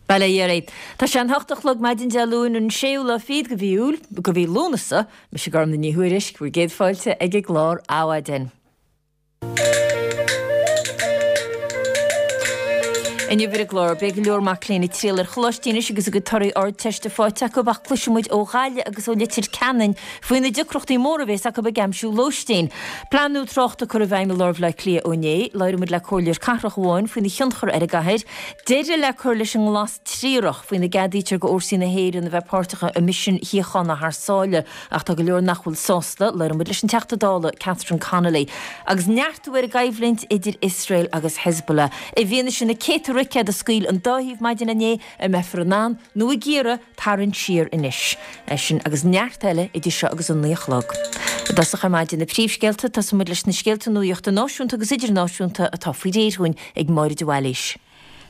Bail ó Dhia oraibh. Tá sé an hocht a chlog maidin Dé Luain an séú lá fichead de mhí Iúil, de mhí Lúnasa. Mise Gormfhlaith Ní Thuairisg, bhur gcéad fáilte ag an gclár Adhmhaidin. Inniu ar an gclár, beidh go leor mac léinn ag triall ar choláistí anois agus a gcuid torthaí Ardteiste faighte acu ach cloisfidh muid ó Ghaillimh agus ó Leitir Ceanainn faoi na deacrachtaí móra a bhéas acu ag aimsiú lóistín. Plean nua tráchta curtha i bhfeidhm i lár Bhaile Átha Cliath ó inné. Labhróidh muid le comhairleoir cathrach amháin faoina thionchar ar an gcathair. Deireadh le cur leis an nglas triarach faoina gceadaítear go fhórsaí na hÉireann a bheith páirteach i misin shíochána thar sáile ach tá go leor nach bhfuil sásta. Labhróidh muid leis an Teachta Dála Catherine Connolly. Agus neartú ar an gcoimhlint idir Iosrael agus Hezbollah. I bhfianaise na céadta roicéad a scaoil an dá thaobh maidin inné, an mbeifear in ann, nó ag iarraidh, tarraingt siar anois? É sin agus neart eile idir seo agus an 9 a chlog. I dtosach ar maidin na príomhscéalta, tosóidh muid leis na scéalta nuachta náisiúnta agus idirnáisiúnta atá faoi réir dhúinn ag Máire de Bhailís.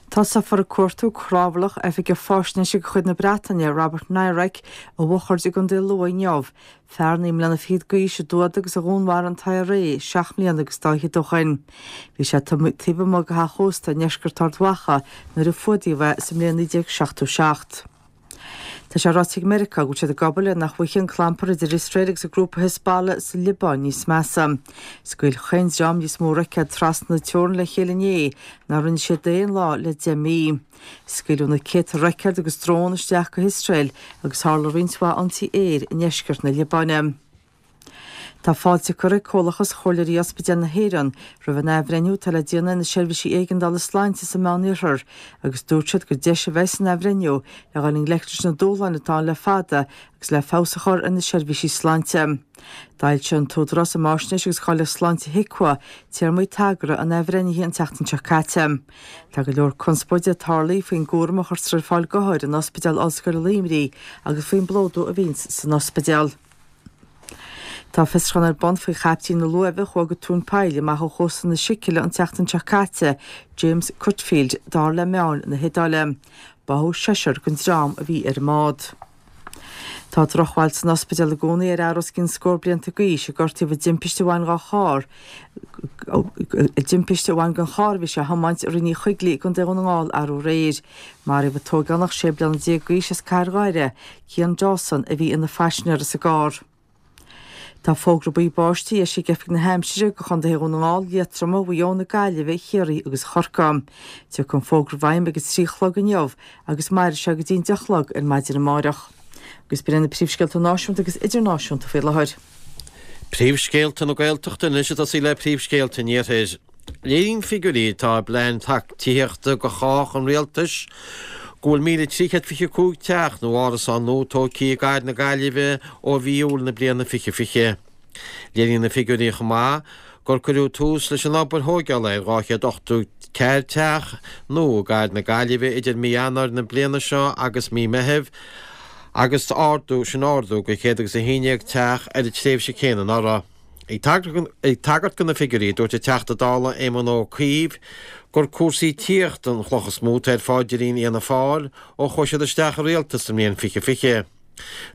Tosófar ag cuartú cnámharlach oifigeach faisnéise de chuid na Breataine, Robert Nairac, i bhFochaird i gContae Lú inniu. Fear naoi mbliana fichead d'aois a d'fhuadaigh agus a dhúnmharaigh an t-IRA seacht mbliana agus dá fhichead ó shoin. Bhí sé taobh amuigh de theach ósta i ndeisceart Ard Mhacha nuair a fuadaíodh é sa mbliain 1977. Tá sé ráite ag Meiriceá go bhfuil siad ag obair le nach bhfaighidh an clampar idir Iosrael agus an grúpa Hezbollah sa Liobáin níos measa. Scaoil chaon dream níos mó roicéad trasna na teorann le chéile inné ná rinne siad aon lá le 10 mí. Scaoileadh na céadta roicéad agus drón isteach go hIosrael agus tharla roinnt mhaith ionsaí aeir i ndeisceart na Liobáine. Tá fáilte curtha ag Comhlachas Chomhairleoirí Ospidéal na hÉireann roimh an athbhreithniú atá le déanamh ar na seirbhísí éigeandála sláinte sa Meánoirthear agus dúirt siad gur deis a bheidh san athbhreithniú le dhul i ngleic leis na dúshláin atá ann le fada agus le feabhas a chur ar na seirbhísí sláinte. D'fhoilsigh an tÚdarás um Fháisnéis agus Cháilíocht Sláinte HIQA téarmaí tagartha an athbhreithnithe an tseachtain seo caite. Tá go leor conspóide tarlaithe faoin gcúram a chuirtear ar fáil d'othair in Ospidéal Ollscoile Luimnigh agus faoin bplódú a bhíonns san ospidéal. Tá fiosrúchán ar bun faoi chaiptín na luaimhe a chuaigh go tóin poill amach ó chósta na Sicile an tseachtain seo caite, James Cutfield, dar le meáin na hIodáile. Báthadh seisear den dream a bhí ar an mbád. Tá drochbhail san ospidéal i gcónaí ar fhear os cionn scór blianta d'aois a gortaíodh i dtimpiste a bhain dá charr i dtimpiste a bhain den charr a bhí sé a thiomáint i Rinn Uí Choigligh i gContae Dhún na nGall arú aréir. Maraíodh an t-ógánach 16 bliana d'aois as Cathair Dhoire, Cian Dawson, a bhí ina phaisinéir sa gcarr. Tá fógra buí báistí eisithe ag Oifig na hAimsire do Chontaetha Dhún na nGall, Liatroma, Mhaigh Eo, na Gaillimhe, Chiarraí agus Chorcaí. Tiocfaidh an fógra i bhfeidhm ag a 3 a chlog inniu agus mairfidh sé go dtí an 10 a chlog ar maidin amárach. Agus b'in iad na príomhscéalta náisiúnta agus idirnáisiúnta faoi láthair. Príomhscéalta na Gaeltachta anois ag tosaí le príomhscéalta an Iarthair. Léiríonn figiúirí atá i bPlean Tithíochta do Chách an Rialtais go bhfuil 1,325 teach nó árasán nua tógtha i gcathair na Gaillimhe ó mhí Iúil na bliana 2020. Léiríonn na figiúirí chomh maith gur cuireadh tús leis an obair thóigeála ar 284 teach nua i gcathair na Gaillimhe idir mí Eanáir na bliana seo agus mí Meithimh agus ardú sin ardú go 111 teach ar an tréimhse céanna anuraidh. Ag tagairt do na figiúirí, dúirt an Teachta Dála Éamon Ó Cuív gur cúrsaí tithíochta an chloch is mó atá ar pháidrín Fhianna Fáil ó chuaigh siad isteach i rialtas sa mbliain 2020.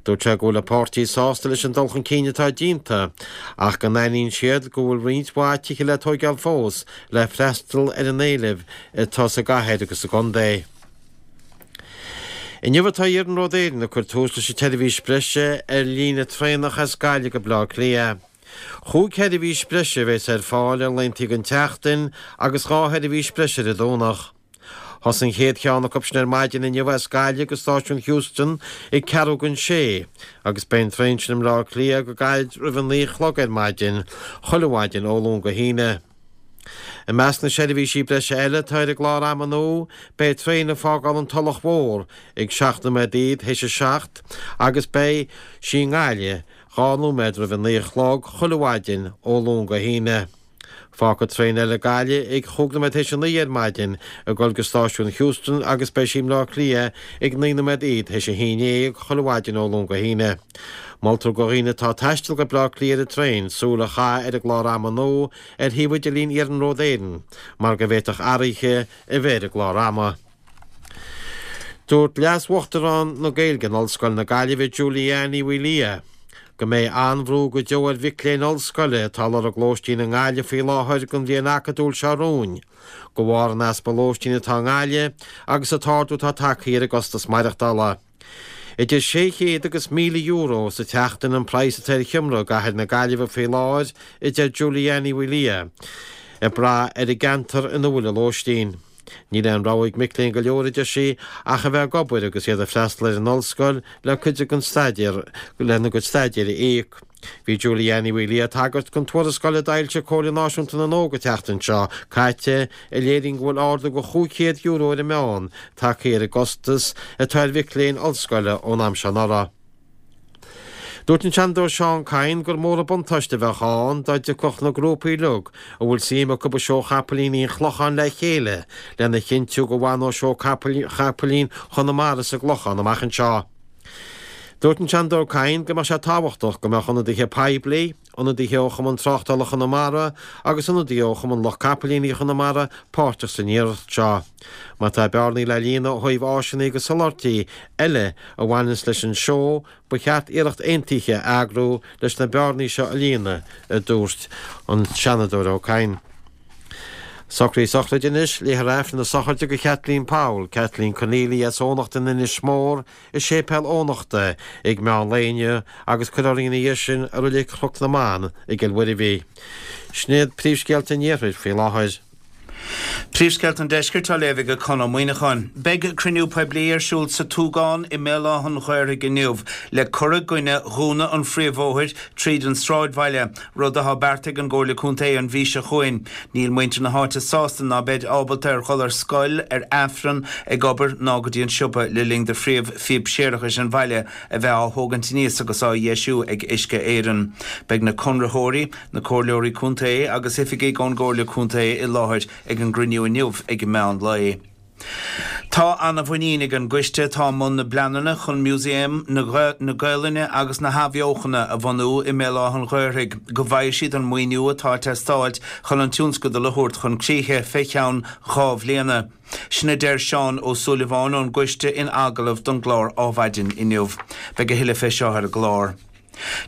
Dúirt sé go bhfuil a páirtí sásta leis an dul chun cinn atá déanta ach go n-aithníonn siad go bhfuil roinnt mhaith tithe le tóigeáil fós le freastal ar an éileamh atá sa gcathair agus sa gcontae. Inniu atá Iarnród Éireann ag cur tús leis an tseirbhís breise ar líne traenach as Gaillimh go Baile Átha Cliath. Chúig sheirbhís breise a bheas ar fáil ar laethanta den tseachtain agus 2 sheirbhís breise ar an Domhnach. Thosaigh an chéad cheann acu sin ar maidin inniu as Gaillimh go stáisiún Heuston ag ceathrú don sé agus beidh an traein sin i mBleá Cliath go gairid roimh a 9 a chlog ar maidin chuile mhaidin ó Luan go hAoine. I measc na seirbhísí breise eile atá ar an gclár ama nua, beidh traein ag fágáil an Tulach Mhór ag 7 nóiméad théis a 7 agus beidh sí i nGaillimh 2 nóiméad roimh a 9 a chlog chuile mhaidin ó Luan go hAoine. Fágfaidh traein eile Gaillimh ag chúig nóiméad théis a 9 ar maidin ag dul go stáisiún Heuston agus beidh sí i mBleá Cliath ag 9 nóiméad théis a 11 chuile mhaidin ó Luan go hAoine. Moltar do dhaoine atá ag taisteal go Bleá Cliath ar an traein súil a chaitheamh ar an gclár ama nua ar shuíomh idirlín Iarnród Éireann mar go bhféadfadh athruithe a bheith ar an gclár ama. Dúirt Leas-Uachtarán na Gaeilge in Ollscoil na Gaillimhe, Julie Anne Ní Mhaoildhia. go mbeidh an-bhrú go deo ar mhic léinn ollscoile atá ag lorg lóistín i nGaillimh faoi láthair don bhliain acadúil seo romhainn, de bharr an easpa lóistín atá i nGaillimh agus an t-ardú atá tagtha ar an gcostas maireachtála. Idir €600 agus €1,000 sa tseachtain an praghas atá ar sheomra i gcathair na Gaillimhe faoi láthair, a deir Julianne Uí Liath, ag brath ar an gceantar ina bhfuil an lóistín. Níl aon rogha ag mic léinn go leor, a deir sí, ach a bheith ag obair agus iad ag freastal ar an ollscoil le cuid den staidéar lena gcuid staidéir a íoc. Bhí Julianne Uí Liath ag tagairt don tuarascáil a d'fhoilsigh Comhairle Náisiúnta na nÓg an tseachtain seo caite a léiríonn go bhfuil ardú de €500 ar an meán tagtha ar an gcostas atá ar mhic léinn ollscoile ón am seo anuraidh. Dúirt an Seanadóir Seán Kyne gur mór an buntáiste a bheadh ann dá dtiocfadh na grúpaí uilig a bhfuil suim acu i Seó Chapaillíní an Chlocháin le chéile lena chinntiú go bhfanóidh Seó Chapaillín Chonamara sa gClochán amach anseo. Dúirt an Seanadóir Kyne go mbeadh sé tábhachtach go mbeadh ionadaithe poiblí, ionadaithe ó Chumann Tráchtála Chonamara agus ionadaithe ó Chumann Lucht Capaillíní Chonamara páirteach san iarracht seo. Má tá bearnaí le líonadh ó thaobh áiseanna agus soláthairtí eile a bhaineanns leis an seó, ba cheart iarracht aontaithe a eagrú leis na bearnaí seo a líonadh, a dúirt an Seanadóir Ó Cadhain. Socruithe sochraide anois, Léifear Aifreann na sochraide do Kathleen Powell, Kathleen Conneely as Eoghanacht in Inis Mór, i Séipéal Eoghanachta ag meán lae inniu agus cuirfear í ina dhiaidh sin i Reilig Chnoc na mBan i gCill Mhuirbhigh. Sin iad príomhscéalta an Iarthair faoi láthair. Príomhscéalta an Deiscirt á léamh ag Conn Ó Muíneacháin. Beidh cruinniú poiblí ar siúl sa Túgán i mBéal Átha an Ghaorthaidh inniu le cur i gcoinne dhúnadh an phríomhbhóthair tríd an sráidbhaile, rud atá beartaithe ag an gComhairle Contae an mhí seo chugainn. Níl muintir na háite sásta ná beid ábalta ar dhul ar scoil, ar Aifreann, ag obair ná go dtí an siopa le linn do phríomh phíob séarachais an bhaile a bheith á thógaint aníos agus á dheisiú ag Uisce Éireann. Beidh na conraitheoirí, na Comhairleoirí Contae agus oifigigh ón gComhairle Contae i láthair ag an gcruinniú inniu ag meán lae. Tá ana-mhuinín ag an gcoiste atá i mbun na bpleananna chun Músaem na Gaelainne agus na hAthbheochana a bhunú i mBéal Átha an Ghaorthaidh go bhfaighidh siad an maoiniú atá ag teastáilt chun an tionscadal a thabhairt chun críche fé cheann 2 bhliana. Sin a deir Seán Ó Súilleabháin ón gcoiste in agallamh don gclár Ádhmhaidin inniu. Beidh a thuilleadh fé seo ar an gclár.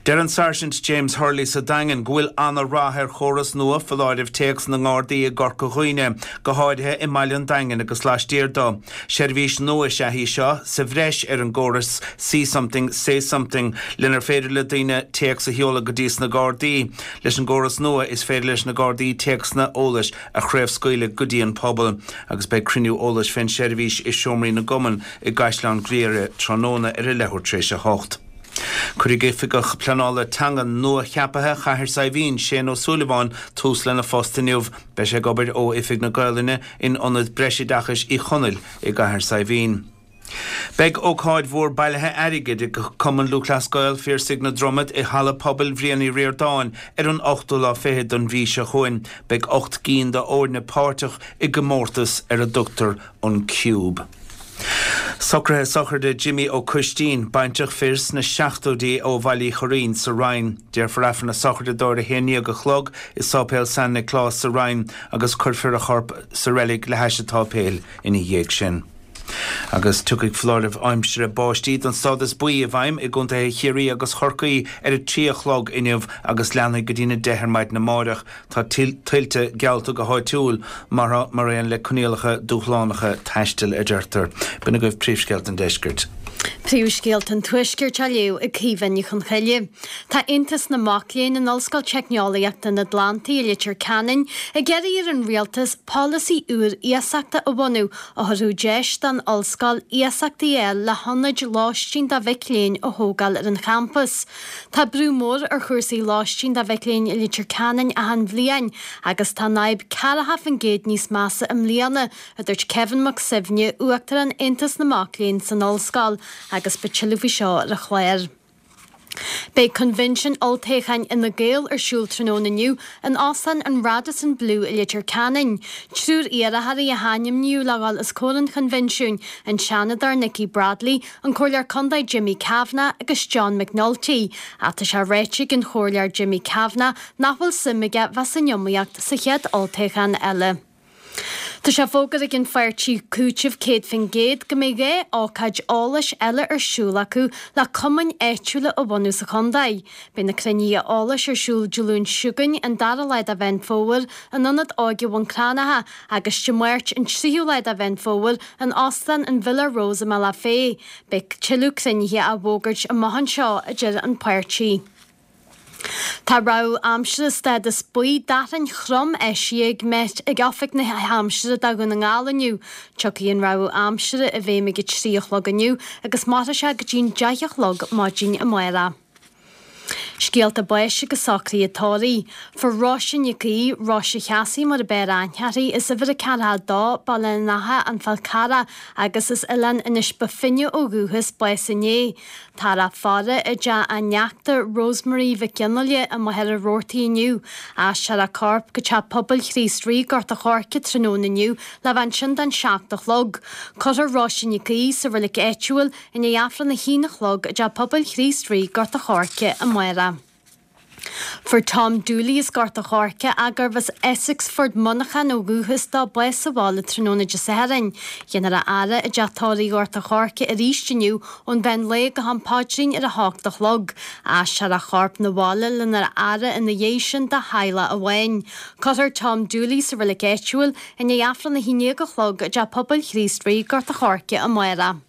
Deir an Sáirsint James Hurley sa Daingean go bhfuil ana-rath ar chóras nua foláireamh téacs na nGardaí i gCorca Dhuibhne, go háirithe i mbaile an Daingin agus laistiar dó. Seirbhís nua is ea í seo, sa bhreis ar an gcóras See Something, Say Something, lenar féidir le daoine téacs a sheoladh go dtí sna Gardaí. Leis an gcóras nua is féidir leis na Gardaí téacsanna eolais a chraobhscaoileadh go dtí an pobal agus beidh cruinniú eolais fén seirbhís i Seomraí na gCumann i gCaisleán Ghriaire tráthnóna ar a leathuair tar éis a hocht. Cuirfidh Oifigeach Pleanála Teanga nua-cheaptha Chathair Saidhbhín, Shane Ó Súilleabháin, tús lena phost inniu. Beidh sé ag obair ó Oifig na Gaolainne in Ionad Breisoideachais Uí Chonaill i gCathair Saidhbhín. Beidh ócáid mhór bailithe airgid ag Cumann Lúthchleas Gael Phiarsaigh na Dromad i Halla Pobail Bhriain Uí Ríordáin ar an ochtú lá fichead don mhí seo chugainn. Beidh 8 gcinn d'fhoirne páirteach i gcomórtas ar a dtugtar an Cube. Socruithe sochraide Jimmy Ó Coistín, baintreach fir sna seachtóidí ó Bhaile Uí Churraoin sa Rinn. Déarfar Aifreann na sochraide dó ar a 11 a chlog i Sáipéal San Nioclás sa Rinn agus cuirfear a chorp sa reilig le hais an tsáipéil ina dhiaidh sin. Agus tiocfaidh foláireamh aimsire báistí den stádas buí i bhfeidhm i gcontaetha Chiarraí agus Chorcaí ar a 3 a chlog inniu agus leanfaidh go dtína 10 ar maidin amáireach. Tá tuilte geallta go háitiúil, mar aon le coinníollacha dúshlánacha taistil, a deirtear. B'in agaibh príomhscéalta an deiscirt. Príomhscéalta an Tuaiscirt á léamh ag Caoimhe Ní Chonchoille. Tá Aontas na Mac Léinn in Ollscoil Teicneolaíochta an Atlantaigh i Leitir Ceanainn ag iarraidh ar an Rialtas polasaí úr iasachta a bhunú a thabharfadh deis don ollscoil iasachtaí a fháil le hionaid lóistín do mhic léinn a thógáil ar an champas. Tá brú mór ar chúrsaí lóistín do mhic léinn i Leitir Ceanainn achan bhliain agus tá an fhadhb 40% níos measa i mbliana, a dúirt Kevin Mac Suibhne, Uachtarán Aontas na Mac Léinn san Ollscoil, agus beidh tuilleadh faoi seo ar an chlár. Beidh Coinbhinsiún Olltoghcháin Fhine Gael ar siúl tráthnóna inniu in Óstán an Radisson Blu i Leitir Ceanainn. Triúr iarrthóirí a hainmníodh le dhul os comhair an choinbhinsiúin, an Seanadóir Nikki Bradley, an Comhairleoir Contae Jimmy Kavanagh agus John McNulty. Ach tá sé ráite ag an Chomhairleoir Jimmy Kavanagh nach bhfuil suim aige bheith san iomaíocht sa chéad olltoghchán eile. Tá sé fógartha ag an pháirtí Cúiteamh 100% go mbeidh 2 ócáid eolais eile ar siúl acu le cumainn áitiúla a bhunú sa chontae. Beidh na cruinnithe eolais ar siúl Dé Luain seo chugainn, an dara lá de Mheán Fómhair, in Ionad Óige Bhun Cranncha agus Dé Máirt, an tríú lá de Mheán Fómhair, in Óstán an Villa Rose i mBealach Féich. Beidh tuilleadh cruinnithe á bhfógairt amach anseo, a deir an páirtí. Tá rabhadh aimsire stádas buí d'fhearthainn throm eisithe ag Met ag Oifig na hAimsire do Dhún na nGall inniu. Tiocfaidh an rabhadh aimsire i bhfeidhm ag 3 a chlog inniu agus mairfidh sé go dtí'n 10 a chlog maidin amárach. Scéalta báis agus socruithe tórraimh. Fuair Róise Nic Aoidh, Róise Chassie mar a b'fhearr aithne uirthi, as uimhir a 42, Baile an Átha, An Fál Carrach, agus as Oileán Inis Bó Finne ó dhúchas, bás inné. Táthar á faire i dteach a neachta Rosemary Mhic Fhionnghaile i Machaire Rabhartaigh inniu. Aistreofar a corp go Teach Pobail Chríost Rí, Gort a' Choirce tráthnóna inniu le bheith ansin don 7 a chlog. Cuirfear Róise Nic Aoidh sa reilig áitiúil i ndiaidh Aifreann a haon a chlog i dTeach Pobail Chríost Rí, Gort a' Choirce amárach. Fuair Tom Dooley as Gort a' Choirce, ach gurbh as Essexford, Muineachán ó dhúchas dó, bás sa bhaile tráthnóna Dé Sathairn. Déanfar a fhaire i dTeach Tórraimh Ghort a' Choirce arís inniu ón mheán lae go ham paidrín ar a hocht a chlog. Aistreofar a chorp 'na bhaile lena fhaire ina dhiaidh sin do theaghlach amháin. Cuirfear Tom Dooley sa reilig áitiúil i ndiaidh Aifreann a haon déag a chlog i dTeach Pobail Chríost Rí, Gort a' Choirce amárach.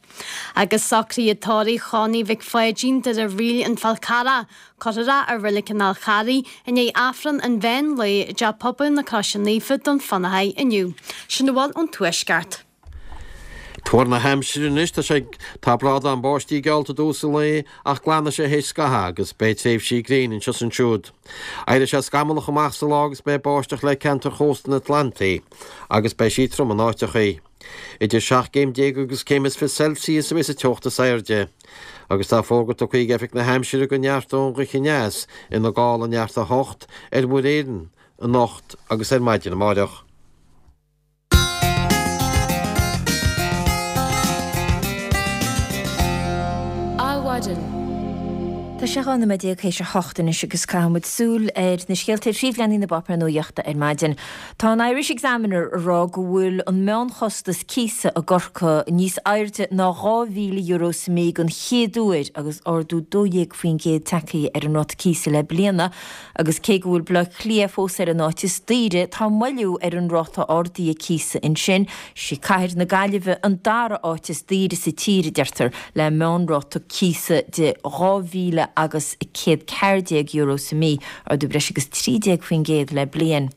Agus socruithe tórraimh Chonnie Mhic Pháidín, Doire Ríl, An Fál Carrach. Cuirfear é i Reilig an Fháil Charraigh i ndiaidh Aifreann an mheán lae i dTeach Pobail na Croise Naofa, Dún Fionnachaidh inniu. Sin a bhfuil ón Tuaisceart. Tuar na haimsire anois, tá sé, tá brádán báistí geallta i dtús an lae ach glanfaidh sé théis scathaimh agus beidh tréimhsí gréine anseo is ansiúd. Éireoidh sé scamallach amach sa lá agus beidh báisteach le ceantar chósta an Atlantaigh agus beidh sí trom in áiteachaí. Idir 17 gcéim agus céim is 20 Celsius a bheas an teocht is airde. Agus tá fógra tugtha ag Oifig na hAimsire go neartóidh an ghaoth aneas ina gála neart 8 ar Mhuir Éireann anocht agus ar maidin amáireach. Adhmhaidin. Tá sé 12 nóiméad théis a hocht anois agus caithfidh muid súil ar na scéalta ar phríomhleathanaigh na bpáipéar nuaíochta ar maidin. Tá an Irish Examiner ag rá go bhfuil an meánchostas cíosa i gCorcaigh níos airde ná €2,000 sa mí den chéad uair agus ardú 12% tagtha ar an ráta cíosa le bliana agus cé go bhfuil Baile Átha Cliath fós ar an áit is daoire, tá moilliú ar an ráta ardaithe cíosa ansin. Sí cathair na Gaillimhe an dara áit is daoire sa tír, a deirtear, le meánráta cíosa de €2,000 agus €114 sa mí, ardú breis agus 13% le bliain.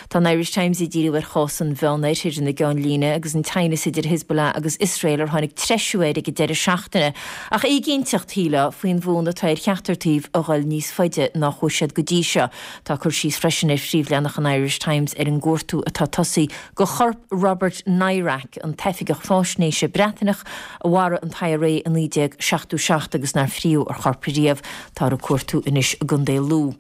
Tá an Irish Times ag díriú ar chás an Mheánoirthir ina gceannlíne agus an teannas idir Hezbollah agus Iosrael ar tháinig treisiú air ag an deireadh seachtaine. Ach éiginnteacht, shílfeá, faoin bhfonn atá ar cheachtar taobh a dhul níos faide ná chuaigh siad go dtí seo. Tá cur síos freisin ar phríomhleathanach an Irish Times ar an gcuartú atá tosaithe do chorp Robert Nairac, an t-oifigeach fáisnéise Breataineach a mharaigh an t-IRA i 1977 agus nár fríodh a chorp riamh. Táthar ag cuartú anois i gContae Lú.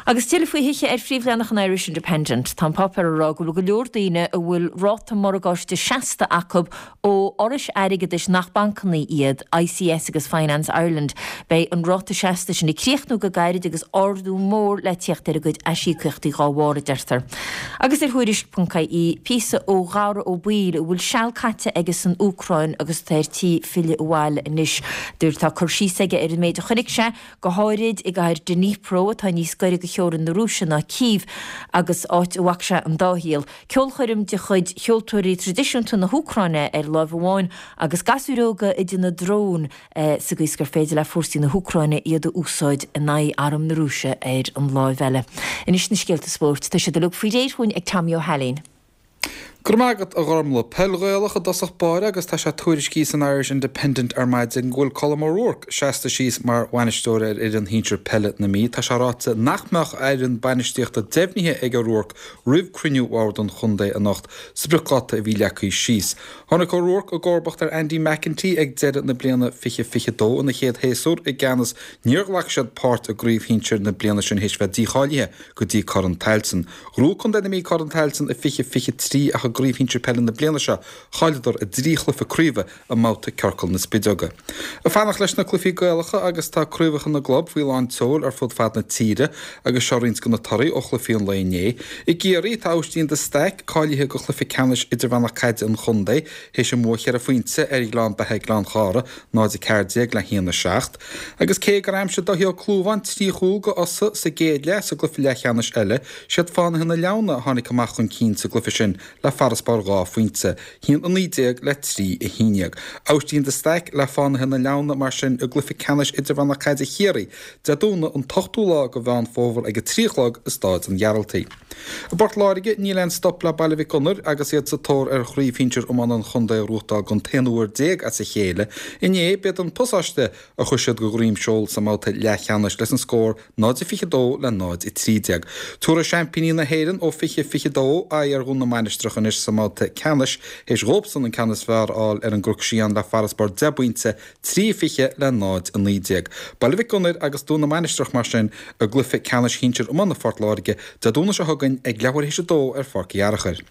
Agus tuilleadh faoi thithe ar phríomhleathanach an Irish Independent. Tá an páipéar ag rá go bhfuil go leor daoine a bhfuil ráta morgáiste seasta acu ó fhorais airgeadais nach bancanna iad, ICS agus Finance Ireland. Beidh an ráta seasta sin ag críochnú go gairid agus ardú mór le tíocht ar a gcuid aisíocaíochtaí dhá bharr, a deirtear. Agus ar Tuairisc.ie, píosa ó Dhara Ó Baoill a bhfuil seal caite aige san Úcráin agus atá ar tí filleadh abhaile anois. Tá cur síos aige ar an méid a chonaic sé, go háirid i gcathair Dnipro, atá níos gaire do theorainn na Rúise ná Cív, agus áit a bhfaca sé an dá shaol. Ceolchoirm de chuid cheoltóirí traidisiúnta na hÚcráine ar láimh amháin agus gasúir óga ag déanamh drón sa gcaoi is gur féidir le fórsaí na hÚcráine iad a úsáid in aghaidh arm na Rúise ar an láimh eile. Anois na scéalta spóirt. Tá siad uilig faoi réir chugainn ag Tommy Ó hAilín. Go raibh maith agat, a Ghormlaith. Peil Ghaelach i dtosach báire agus tá sé tuairiscithe san Irish Independent ar maidin go bhfuil Colm O'Rourke seasta síos mar bhainisteoir ar fhoireann shinsir peile na Mí. Tá sé ráite nach mbeadh a fhoireann bainistíochta deimhnithe ag O'Rourke roimh cruinniú bhord an chontae anocht, spriocdháta a bhí leagtha síos. Tháinig O'Rourke i gcomharbacht ar Andy McEntee ag deireadh na bliana 2022 ina chéad shéasúr i gceannas. Níor ghlac siad páirt i gcraobh shinsir na bliana sin théis bheith dícháilithe go dtí Corn Tailteann. Ghnóthaigh Contae na Mí Corn Tailteann i 2023 ach i. i gCraobh Shinsir Peile na bliana seo, chailleadar a dtrí chluiche craoibhe i mbabhta Ciorcal na Spideoga. Ag fanacht leis na cluichí Gaelacha agus tá craobhacha na gclub faoi lán tseoil ar fud fad na tíre agus seo roinnt de na torthaí ó chluichí an lae inné. I gCiarraí, tá Aibhistín de Staic cáilithe do chluiche ceannais idirmheánach caide an chontae théis a mbua cheithre phointe ar Ghleann Beatha Gleann Chártha, 0-14 le 1-7. Agus cé gur aimsigh Dáithí Ó Clúmháin 3 chúl do Fhosadh sa gcéad leath sa gcluiche leathcheannais eile, siad Fánaithe na Leamhna a tháinig amach chun cinn sa gcluiche sin le farasbarr 2 phointe, 1-19 le 3-11. Aibhistín de Staic le Fánaithe na Leamhna mar sin i gcluiche ceannais idirmheánach caide Chiarraí, Dé Domhnaigh an t-ochtú lá de Mheán Fómhair ag 3 a chlog i Stáid an Ghearaltaigh. I bPort Láirge, níl aon stop le Baile Mhic Gonair agus iad sa tóir ar chraobh shinsir iomána an chontae a ghnóthachtáil don t-aon uair déag as a chéile. Inné, b'iad an Pasáiste a chuir siad de dhroim seoil sa mbabhta leathcheannais leis an scór 0-22 le 0-13. Tabharfaidh seaimpíní na hÉireann ó 2022 aghaidh ar Dhún na Mainistreach anois sa mbabhta ceannais, théis dhóibhsan an ceann is fearr a fháil ar an gCnoc Síon le farasbarr 10 bpointe, 3-20 le 0-19. Baile Mhic Gonair agus Dún na Mainistreach mar sin i gcluiche ceannais shinsir iomána Phort Láirge Dé Domhnaigh seo chugainn ag leathuair théis a dó ar Pháirc Uí Fhearachair.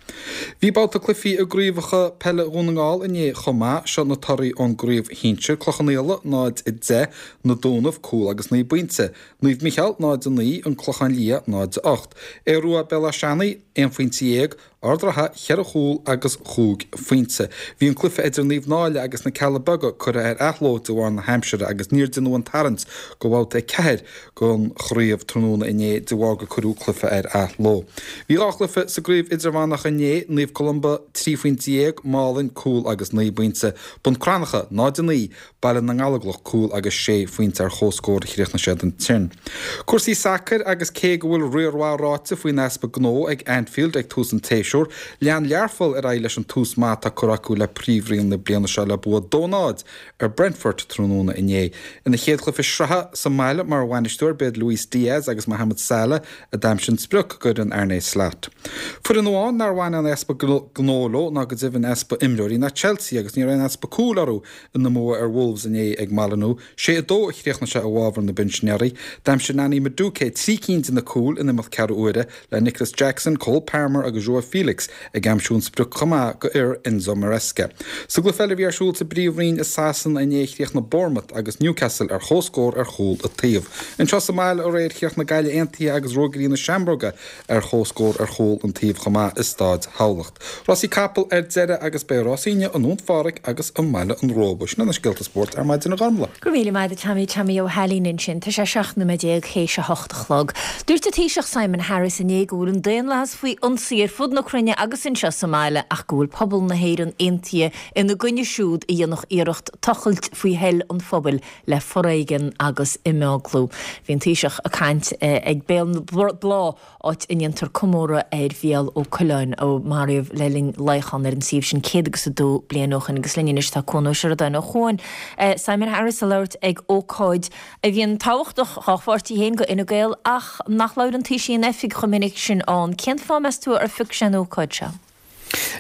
Bhí babhta cluichí i gcraobhacha peile Dhún na nGall inné chomh maith. Seo na torthaí ón gcraobh shinsir, Clochán Fhaola 0-10, Na Dúnaibh, cúl agus 9 bpointe, Naomh Micheál 0-9, An Clochán Liath 0-8, Aodh Rua Béal Átha Seanaidh, 11 phointe, Ard an Rátha, cheithre chúl agus chúig phointe. Bhí an cluiche idir Naomh Náille agus na Cealla Beaga curtha ar athló de bharr na haimsire agus níor deineadh an tarraingt do bhabhta 4 den chraobh tráthnóna inné de bharr gur cuireadh cluiche ar athló. Bhí 2 chluiche sa gcraobh idirmheánach inné, Naomh Columba, 13 phointe, Málainn, cúl agus 9 bpointe, Bun Cranncha, 0-9, Baile na nGallóglach, cúl agus sé phointe ar comhscór a chríochnaigh siad ansin. Cúrsaí sacair agus cé go bhfuil riar mhaith ráite faoin easpa gnó ag Anfield ag tús an tséasúir, lean Learpholl ar aghaidh leis an tús maith atá curtha acu le Príomhroinn na bliana seo le bua 2-0 ar Brentford tráthnóna inné. Ina chéad chluiche sraithe sa mbaile mar bhainisteoir b'iad Luis Diaz agus Mohamed Salah a d'aimsigh an sprioc d'fhoireann Arne Slot. Foireann amháin nár bhain aon easpa gnó leo ná go deimhin easpa imreoirí ná Chelsea agus ní raibh aon easpa cúil orthu Ina mbua ar Wolves inné ag Molineux, 6-2 a chríochnaigh sé i bhfabhar na bpinsinéirí. D'aimsigh Noni Madueke 3 cinn de na cúil in imeacht ceathrú uaire, le Nicolas Jackson, Cole Palmer agus Joao Felix ag aimsiú an sprioc chomh maith do fhir Enzo Maresca. Sa gcluiche eile a bhí ar siúl sa bPríomhroinn i Sasana inné chríochnaigh Bournemouth agus Newcastle ar comhscór ar chúl an taobh. Anseo sa mbaile aréir chríochnaigh Gaillimh Aontaithe agus Ruagairí na Seamróige ar comhscór ar chúl an taobh chomh maith i Staid Thamhlacht. Rásaí capall ar deireadh agus beidh rásaí inniu i nDún Phádraig agus i mBaile an Róba. Sin iad na scéalta spóirt ar maidin a Ghormlaith. Go raibh míle maith agat Tommy, Tommy Ó hAilín ansin. Tá sé 17 nóiméad théis a hocht a chlog. Dúirt an Taoiseach Simon Harris inné go bhfuil an daonlathas faoi ionsaí ar fud na cruinne agus anseo sa mbaile ach go bhfuil pobal na hÉireann aontaithe ina gcoinne siúd a dhéanfadh iarracht tochailt faoi thoil an phobail le foréigean agus imeaglú. Bhí an Taoiseach ag caint ag Béal na Bláth, áit a ndéantar comóradh ar Mhícheál Ó Coileáin, a maraíodh le linn luíochán ar an suíomh sin 102 bliain ó shin. Agus linn anois tá Cuan Ó Seireadáin ó Chuan. Simon Harris ag labhairt ag ócáid a bhíonn tábhachtach dhá pháirtí féin, do Fhine Gael, ach nach labhrann Taoisigh in oifig chomh minic sin ann. Cén fáth, meas tú, ar phioc sé an ócáid seo?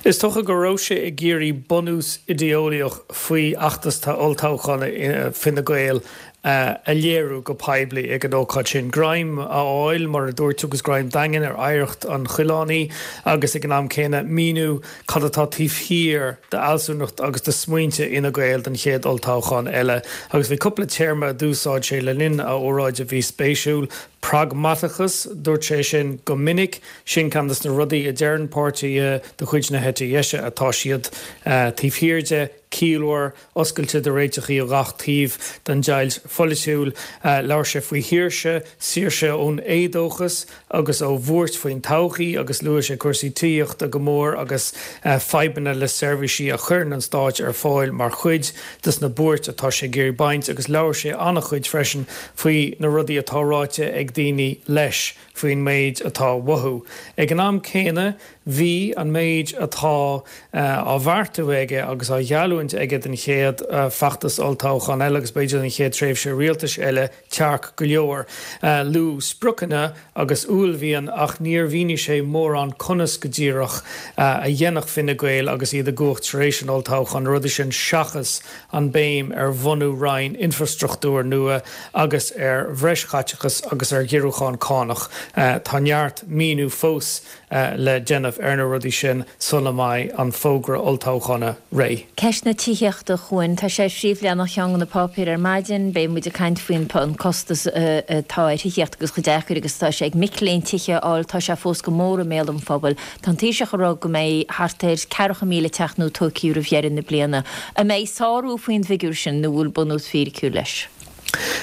Is dócha go raibh sé ag iarraidh bunús idé-eolaíoch faoi fheachtas olltoghcháin Fine Gael a léiriú go poiblí ag an ócáid sin. Greim a fháil, mar a dúirt tú, agus greim daingean ar oidhreacht an Choileánaigh agus ag an am céanna míniú cad atá taobh thiar d'fhealsúnacht agus de smaointe Fhine Gael don chéad olltoghchán eile. Agus bhí cúpla téarma a d'úsáid sé le linn a óráide a bhí spéisiúil, Pragmatachas, dúirt sé sin go minic. Sin ceann de na rudaí a deireann páirtithe de chuid na heite dheise atá siad taobh thiar de, ciallmhar, oscailte do réiteachaí ó gach taobh den deighilt pholaitiúil. Labhair sé faoi shaoirse, saoirse ón éadóchas agus ó bhuairt faoin todhchaí agus luaigh sé cúrsaí tithíochta go mór agus fadhbanna le seirbhísí a chuireann an stáit ar fáil mar chuid de na buairt atá sé ag iarraidh baint agus labhair sé an-chuid freisin faoi na rudaí atá ráite ag daoine leis faoin méid atá uathu. Ag an am céanna bhí an méid atá á bheartú aige agus á gheallúint. geallúint aige don chéad feachtas olltoghcháin eile agus b'fhéidir don chéad tréimhse rialtais eile tearc go leor. Luadh spriocanna agus uaillmhian ach níor mhínigh sé mórán conas go díreach a dhéanfadh Fine Gael agus iad i gcumhacht tar éis an olltoghcháin na rudaí sin seachas an béim ar bhunú roinn infrastruchtúir nua agus ar bhreis chaiteachas agus ar ghiorrúchán cánach. Tá neart míniú fós le déanamh ar na rudaí sin sula mbeidh an fógra olltoghchána réidh. Ceist na tithíochta, a Chuain. Tá sé ar phríomhleathanach cheann de na páipéir ar maidin. Beidh muid ag caint faoin an costas atá ar thithíocht agus chomh deacair agus atá sé ag mic léinn tithe a fháil. Tá sé fós go mór i mbéal an phobail. Tá an Taoiseach ag rá go mbeidh thart ar 40,000 teach nua tógtha roimh dheireadh na bliana. An mbeidh sárú faoin bhfigiúr sin nó bhfuil bunús fíriciúil leis?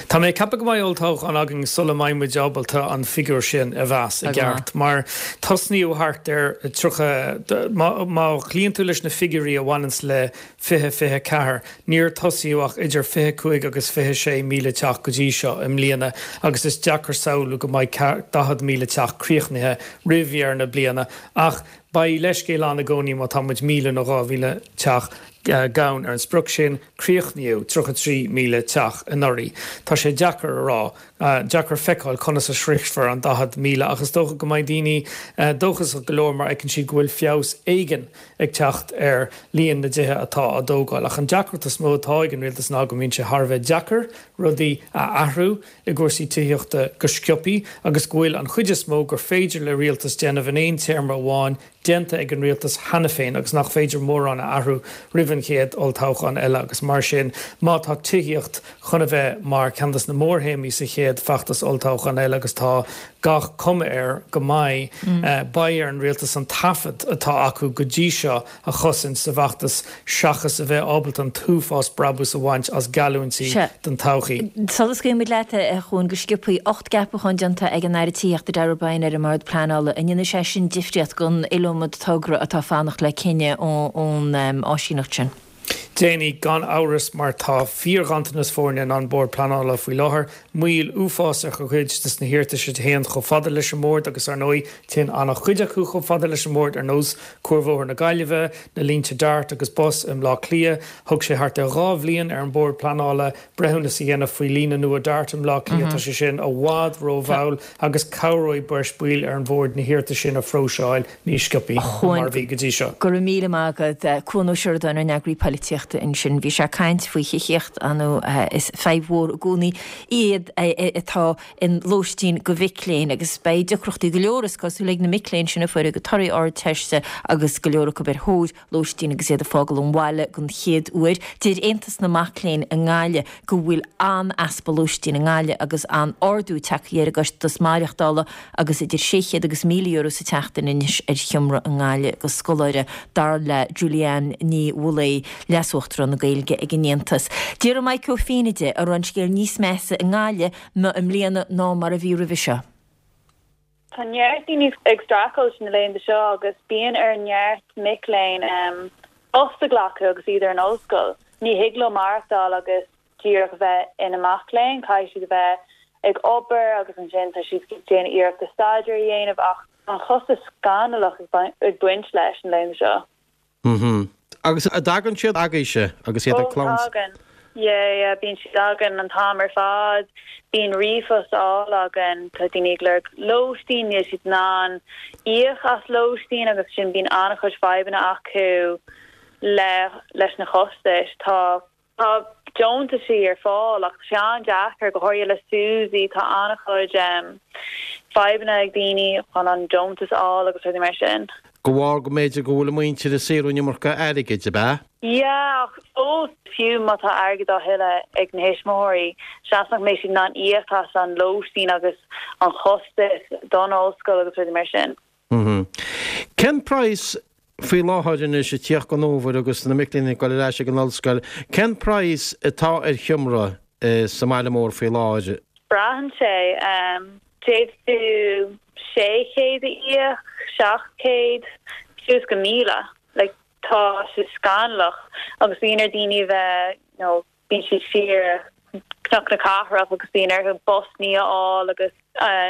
Tá mé ag ceapadh go mbeidh olltoghchán againn sula mbeidh muid ábalta an figiúr sin a mheas i gceart, mar tosnaíodh thart ar 30, má chloíonn tú leis na figiúirí a bhaineanns le 2024, níor tosaíodh ach idir 25 agus 26,000 teach go dtí seo i mbliana agus is deacair samhlú go mbeidh 40,000 teach críochnaithe roimh dheireadh na bliana ach beidh leithscéal ann i gcónaí má tá muid 1,000 nó 2,000 teach gann ar an sprioc sin. Críochnaíodh 33,000 teach anuraidh. Tá sé deacair a rá, deacair feiceáil conas a sroichfear an 40,000 ach is dócha go mbeidh daoine dóchasach go leor mar fheiceann siad go bhfuil feabhas éigin ag teacht ar líon na dtithe atá á dtógáil. Ach an deacracht is mó atá ag an rialtas ná go mbíonn sé thar a bheith deacair rudaí a athrú i gcúrsaí tithíochta go sciobthaí agus go bhfuil an chuid is mó gur féidir le rialtas déanamh in aon téarma amháin déanta ag an rialtas cheana féin agus nach féidir mórán a athrú roimh an chéad olltoghchán eile agus mar sin má tá tithíocht chun a bheith mar cheann des na mórthéamaí sa chéad feachtas olltoghcháin eile agus tá gach cuma air go mbeidh, beidh ar an rialtas an taifead atá acu go dtí seo a chosaint sa bhfeachtas seachas a bheith ábalta an t-uafás brabús a bhaint as geallúintí don todhchaí. Sula scaoilfimid leat, a Chuain, go sciobthaí, 8 gceapachán déanta ag an Aire Tithíochta Darragh O'Brien ar an mBord Pleanála. An ndéanfaidh sé sin difríocht don iliomad togra atá ag fanacht le cinneadh ón áisíneacht sin? Déanfaidh, gan amhras, mar tá fíorghanntanas foirne in An Bord Pleanála faoi láthair, moill uafásach ar chuid des na hiarratais a théann chomh fada leis an mBord agus, ar ndóigh, téann an-chuid acu chomh fada leis an mBord, ar nós Cuarbhóthar na Gaillimhe, na línte Dart agus Bus i mBleá Cliath. Thóg sé thart ar dhá bhliain ar an Bord Pleanála breithiúnas a dhéanamh faoi líne nua Dart i mBleá Cliath. Tá sé sin i bhfad rómhall agus cabhróidh breis baill ar an Bhord na hiarratais sin a phróiseáil níos sciobthaí ná mar a bhí go dtí seo. Go raibh míle maith agat. Cuan Ó Seireadáin, ár n-eagraí polaitíochta ansin. Bhí sé ag caint faoi thithíocht, ar ndóigh is fadhb mhór i gcónaí iad atá in lóistín do mhic léinn agus beidh deacrachtaí go leor is cosúil ag na mic léinn sin a fuair a gcuid torthaí Ardteiste agus go leor acu ar thóir lóistín agus iad ag fágáil an bhaile den chéad uair. Deir Aontas na Mac Léinn i nGaillimh go bhfuil an-easpa lóistín i nGaillimh agus an-ardú tagtha ar an gcostas maireachtála agus idir €600 agus €1,000 sa tseachtain anois ar sheomra i nGaillimh do scoláire, dar le Julianne Ní Mhaolaodha, Leas-Uachtarán na Gaeilge ag an Aontas. D'fhiafraigh Maidhc Ó Feinne de an raibh an scéal níos measa i nGaillimh i mbliana ná mar a bhí roimhe seo. Tá neart daoine ag streachailt na laethanta seo agus bíonn ar neart mic léinn post a ghlacadh agus iad ar an ollscoil. Ní thig leo maireachtáil agus díreach a bheith ina mac léinn, caithfidh siad a bheith ag obair agus ansin tá siad ag déanamh iarrachta staidéar a dhéanamh ach tá an costas scannalach ag baint leis na laethanta seo. Mhm. Agus an dtagann siad agaibhse agus iad ag Oh, tagann. Yeah, yeah, bíonn siad againn an t-am ar fad. Bíonn ríomhphost á fháil againn. Tá daoine ag lorg lóistín, níl siad in ann íoc as lóistín agus sin bíonn an-chuid fadhbanna acu le leis na costais. Tá Tá deontaisí ar fáil ach tá sé an-deacair, go háirithe le SUSI, tá an-chuid fadhbanna ag daoine chun an deontas a fháil agus rudaí mar sin. De bharr go mb'fhéidir go bhfuil a muintir ag saothrú an iomarca airgid, ab ea? Yeah, ach fós, fiú má tá airgead á thuilleadh ag na thuismitheoirí, seans nach mbeidh siad in ann íoc as an lóistín agus an chostas don ollscoil agus rudaí mar sin. Cén praghas faoi láthair anois ag tíocht don fhómhar agus na mic léinn ag dul ar ais ag an ollscoil, cén praghas atá ar sheomra sa mbaile mór faoi láthair? Braitheann sé. D'fhéadfadh tú 600 a íoc, 700, suas go 1,000. Like, tá sé scannalach agus bíonn ar daoine a bheith, you know, Bíonn siad siar Cnoc na Cathrach agus bíonn orthu busannaí a fháil agus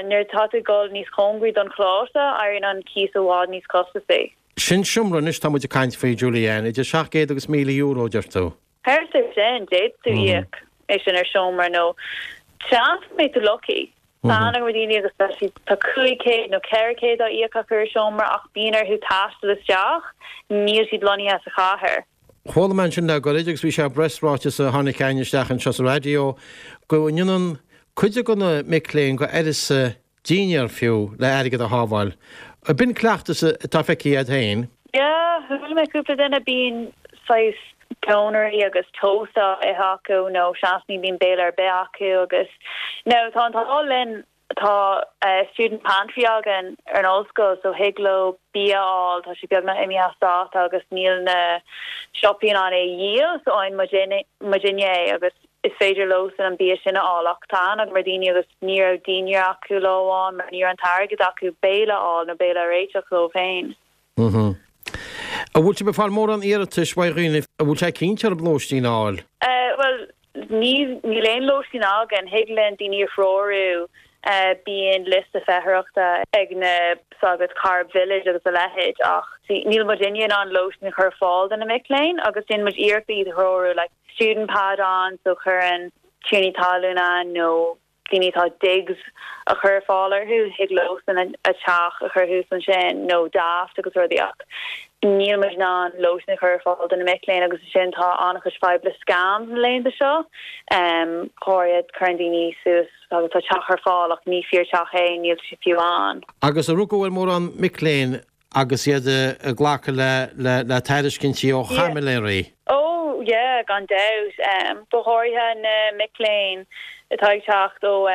nuair atá tú ag dul níos cóngaraí don choláiste, éiríonn an cíos i bhfad níos costasaí. Sin seomra anois tá muid ag caint faoi, Julie-Anne, idir 700 agus €1,000, deir tú. Thart ar sin, d'fhéadfadh tú íoc é sin ar seomra nó seans go mbeidh tú lucky. Tá aithne agam ar dhaoine agus tá siad, tá 500 nó 400 á íoc acu ar seomra ach bíonn orthu taisteal isteach, níl siad lonnaithe sa chathair. Chuala mé ansin le goirid agus bhí sé i bpreasráiteas a tháinig chugainn isteach anseo sa raidió go ndéanann cuid de na mic léinn go uireasa dinnéar fiú le airgead a shábháil. B'in cleachtas atá feicthe agat féin? Yeah, chuala mé cúpla duine, bíonn saghas pónairí agus toast á ithe acu nó seans ní bhíonn béile ar bith acu agus now tá an t-ádh linn tá student pantry againn ar an ollscoil so thig leo bia a fháil, tá sé beagnach imithe as dáta agus níl na siopaí in ann é a dhíol so faigheann muidinne é agus is féidir leosan an bia sin a fháil ach tá aithne agam ar dhaoine agus ní raibh dinnéar acu lá amháin mar ní raibh an t-airgead acu béile a fháil nó béile a réiteach dóibh féin. An bhfuil sibh ag fáil mórán iarratais ó dhaoine a bhfuil sé cinnte orthu lóistín a fháil? Bhuel, níl aon lóistín againn. Thig linn daoine a threorú. Bíonn liosta feitheoireachta ag na, tá a fhios agat, Corrib Village agus a leithéid ach níl muidinne in ann lóistín a chur ar fáil do na mic léinn agus déanann muid iarracht iad a threorú like student pad ann so cuireann tiarnaí talún ann nó daoine atá digs a chur ar fáil orthu, thig leosan a dteach a chur thuas ansin nó Daft agus rudaí ach níl muid in ann lóistín a chur ar fáil do na mic léinn agus ansin tá an-chuid fadhb le scams na laethanta seo. Go háirithe cuireann daoine suas agus tá teach ar fáil ach ní fíor teach é, níl sé fiú ann. Agus ar rugadh ar mórán mic léinn agus iad ag glacadh le tairiscintí ó chaimiléirí. Oh yeah, gan dabht. Go háirithe na mic léinn atá ag teacht ó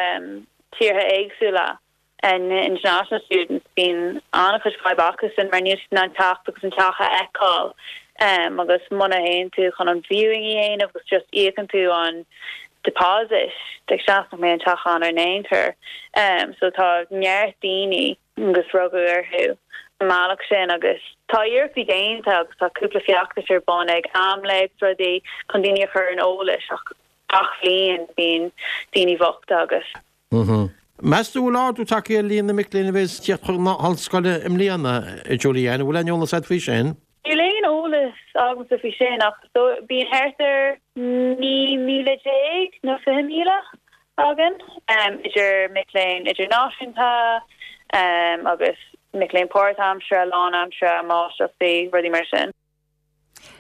tíortha éagsúla, na international students, bíonn an-chuid fadhb acusan mar níl siad in ann teacht agus an teach a fheiceáil agus muna théann tú chun an viewing a dhéanamh agus just íocann tú an deposit, like seans nach mbeidh an teach ann ar aon chor. So tá neart daoine. agus rugadh orthu an mbealach sin agus tá iarrachtaí déanta agus tá cúpla feachtas ar bun ag AMLÉ agus rudaí chun daoine a chur ar an eolas ach gach bhliain bíonn daoine bochta agus. Meas tú an bhfuil ardú tagtha ar líon na mic léinn a bheas ag tíocht chun na hollscoile i mbliana, a Julie-Anne? An bhfuil aon eolas agat faoi sin? Níl aon eolas agamsa faoi sin ach bíonn thart ar 19 míle nó 20,000 againn, idir mic léinn idirnáisiúnta agus mic léinn páirtaimseartha, lánaimseartha, máistreachtaí, rudaí mar sin.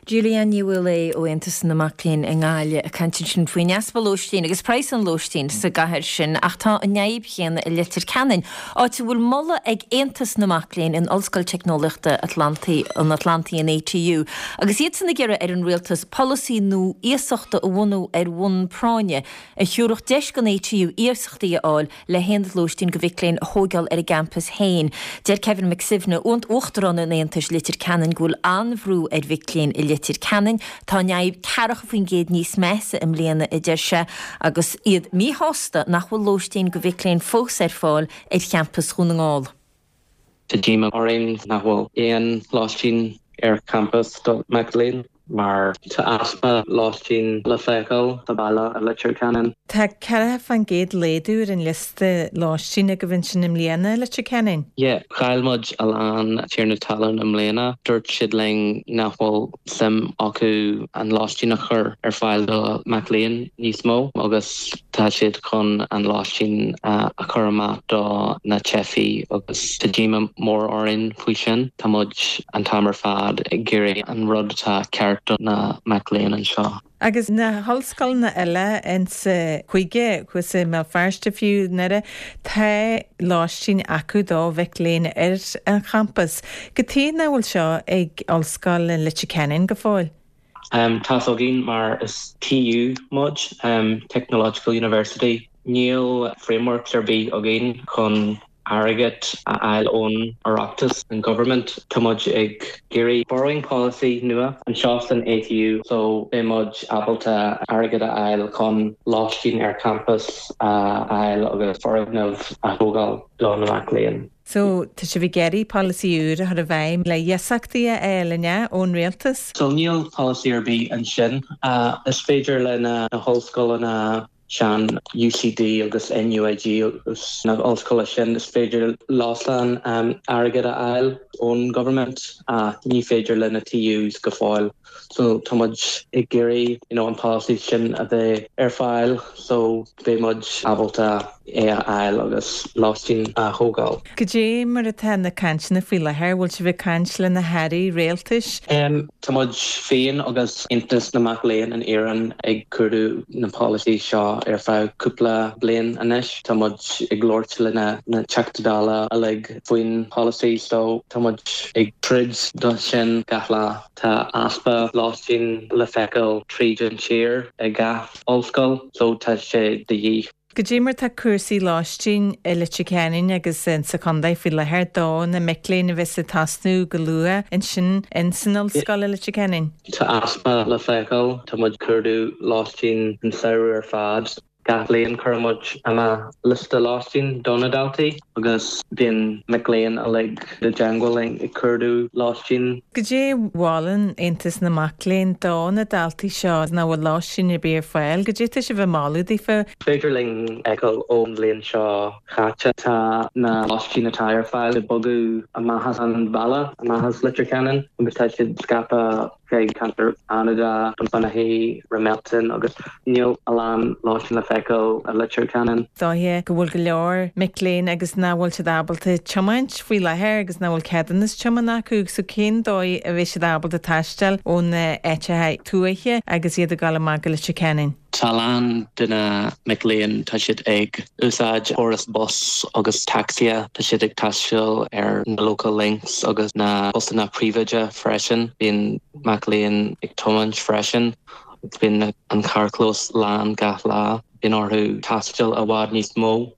Julie-Anne Ní Mhaolaodha ó Aontas na Mac Léinn i nGaillimh ag caint ansin faoin easpa lóistín agus praghas an lóistín sa gcathair sin ach tá an fhadhb chéanna i Leitir Ceanainn, áit a bhfuil moladh ag Aontas na Mac Léinn in Ollscoil Teicneolaíochta Atlantaí, an Atlantaigh, an ATU, agus iadsan ag iarraidh ar an rialtas polasaí nua iasachta a bhunú ar bhonn práinne a thiúrfadh deis don ATU iasachtaí a fháil le haonaid lóistín do mhic léinn a thóigeáil ar a gcampas féin. Deir Kevin McSuibhne, Uachtarán an Aontais Leitir Ceanainn go bhfuil an-bhrú ar mhic léinn i Leitir Ceanainn. Tá an fhadhb 40% níos measa i mbliana, a deir sé, agus iad míshásta nach bhfuil lóistín do mhic léinn fós ar fáil ar champas Dhún na nGall. Tá díomá orainn nach bhfuil aon lóistín ar champas do mic léinn mar tá easpa lóistín le feiceáil sa bhaile i Leitir Ceanainn. Tá 40% laghdú ar an liosta lóistín agaibh ansin i mbliana i Leitir Ceanainn. Yeah, chaill muid a lán tiarna talún i mbliana. Dúirt siad linn nach bhfuil suim acu an lóistín a chur ar fáil do mic léinn níos mó agus Tá siad chun an lóistín a chur amach do na teifigh agus tá díomá mór orainn faoi sin. Tá muid an t-am ar fad ag iarraidh an rud atá ceart do na mic léinn anseo. Agus na hollscoileanna eile insa chúige, thuas i mBéal Feirste fiú, i nDoire, tá lóistín acu do mhic léinn ar an champas. Cad chuige nach bhfuil seo ag Ollscoil Leitir Ceanainn go fóill? Tá's againn mar is TU muid, Technological University, níl frameworks ar bith againn chun airgead a fháil ón Oireachtas, an government. Tá muid ag iarraidh borrowing policy nua anseo san ATU so beidh muid ábalta airgead a fháil chun lóistín ar champas a fháil agus foirgneamh a thógáil do na mac léinn. So, tá sibh ag iarraidh polasaí úr a chur i bhfeidhm le iasachtaí a fháil, an ea, ón rialtas? So níl polasaí ar bith ansin. Is féidir le na hollscoileanna. sean UCD agus NUIG agus na ollscoile sin is féidir leosan airgead a fháil ón government ach ní féidir le na TUs go fóill so tá muid ag iarraidh you know an policy sin a bheith ar fáil so beidh muid ábalta é a fháil agus lóistín a thógáil. Cad é mar atá na cainteanna faoi láthair? Bhfuil sibh ag caint le na hairí rialtais? Tá muid féin agus Aontas na Mac Léinn in Éirinn ag cuardú na polasaí seo ar feadh cúpla bliain anois. Tá muid ag labhairt le na Teachtaí Dála uilig faoin polasaí so tá muid ag troid do sin gach lá. Tá easpa lóistín le feiceáil tríd an tír ag gach ollscoil so tá sé de dhíth. Cad é mar tá cúrsaí lóistín i Leitir Ceanainn agus sa chontae faoi láthair do na mic léinn a bheas ag tosnú go luath ansin ins an ollscoil i Leitir Ceanainn? Tá easpa le feiceáil. Tá muid ag cuardú lóistín an samhradh ar fad. Gach bliain cuireann muid amach liosta lóistín do na daltaí agus bíonn mic léinn uilig i dteangmháil linn ag cuardú lóistín. Cad é a mholann Aontas na Mac Léinn do na daltaí seo nach bhfuil lóistín ar bith ar fáil? Cad é atá sibh ag moladh daofa? Is féidir linn fheiceáil ón bhliain seo chaite tá na lóistín atá ar fáil ag bogadh amach as an bhaile, amach as Leitir Ceanainn agus tá siad scaipthe chuig ceantar Fhánada, Finaghy, Ramelton agus níl a lán lóistín le feiceáil i Leitir Ceanainn. Is dóiche go bhfuil go leor mic léinn agus nach bhfuil siad ábalta tiomáint faoi láthair agus nach bhfuil ceadúnas tiomána acu so cén dóigh a bheidh siad ábalta taisteal ó na áiteacha tuaithe agus iad ag dul amach go Leitir Ceanainn? Tá a lán de na mic léinn, tá siad ag úsáid córas bus agus tacsaithe, tá siad ag taisteal ar na local links agus na busanna príobháideacha freisin. Bíonn mac léinn ag tiomáint freisin agus bíonn an carrchlós lán gach lá. Bíonn orthu taisteal i bhfad níos mó.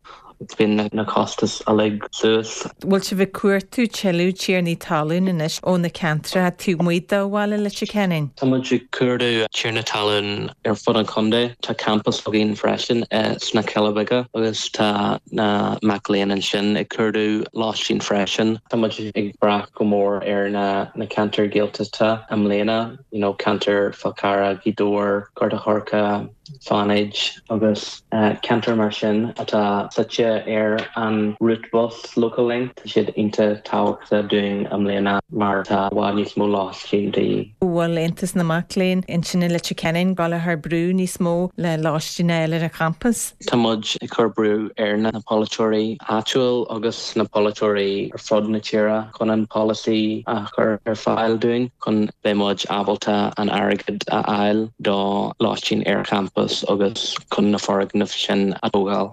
Bíonn na costais uilig suas. Bhfuil sibh ag cuartú tuilleadh tiarnaí talún anois ó na ceantracha taobh amuigh de bhaile Leitir Ceanainn? Tá muid ag cuardú tiarna talún ar fud an chontae. Tá campas againn freisin sna Cealla Beaga agus tá na mac léinn ansin ag cuardú lóistín freisin. Tá muid ag brath go mór ar na ceantair Ghaeltachta i mbliana, you know ceantar Fál Carrach, Gaoth Dobhair, Gort a' Choirce, Fánaid agus ceantair mar sin atá suite ar an route bus local link, tá siad iontach tábhachtach dúinn i mbliana mar tá i bhfad níos mó lóistín de dhíth. Bhfuil Aontas na Mac Léinn ansin i Leitir Ceanainn ag dul a chur brú níos mó le lóistín a fháil ar an champas? Tá muid ag cur brú ar na polaiteoirí áitiúil agus na polaiteoirí ar fud na tíre chun an polasaí a chur ar fáil dúinn chun beidh muid ábalta an airgead a fháil do lóistín ar champas agus chun na foirgnimh sin a thógáil.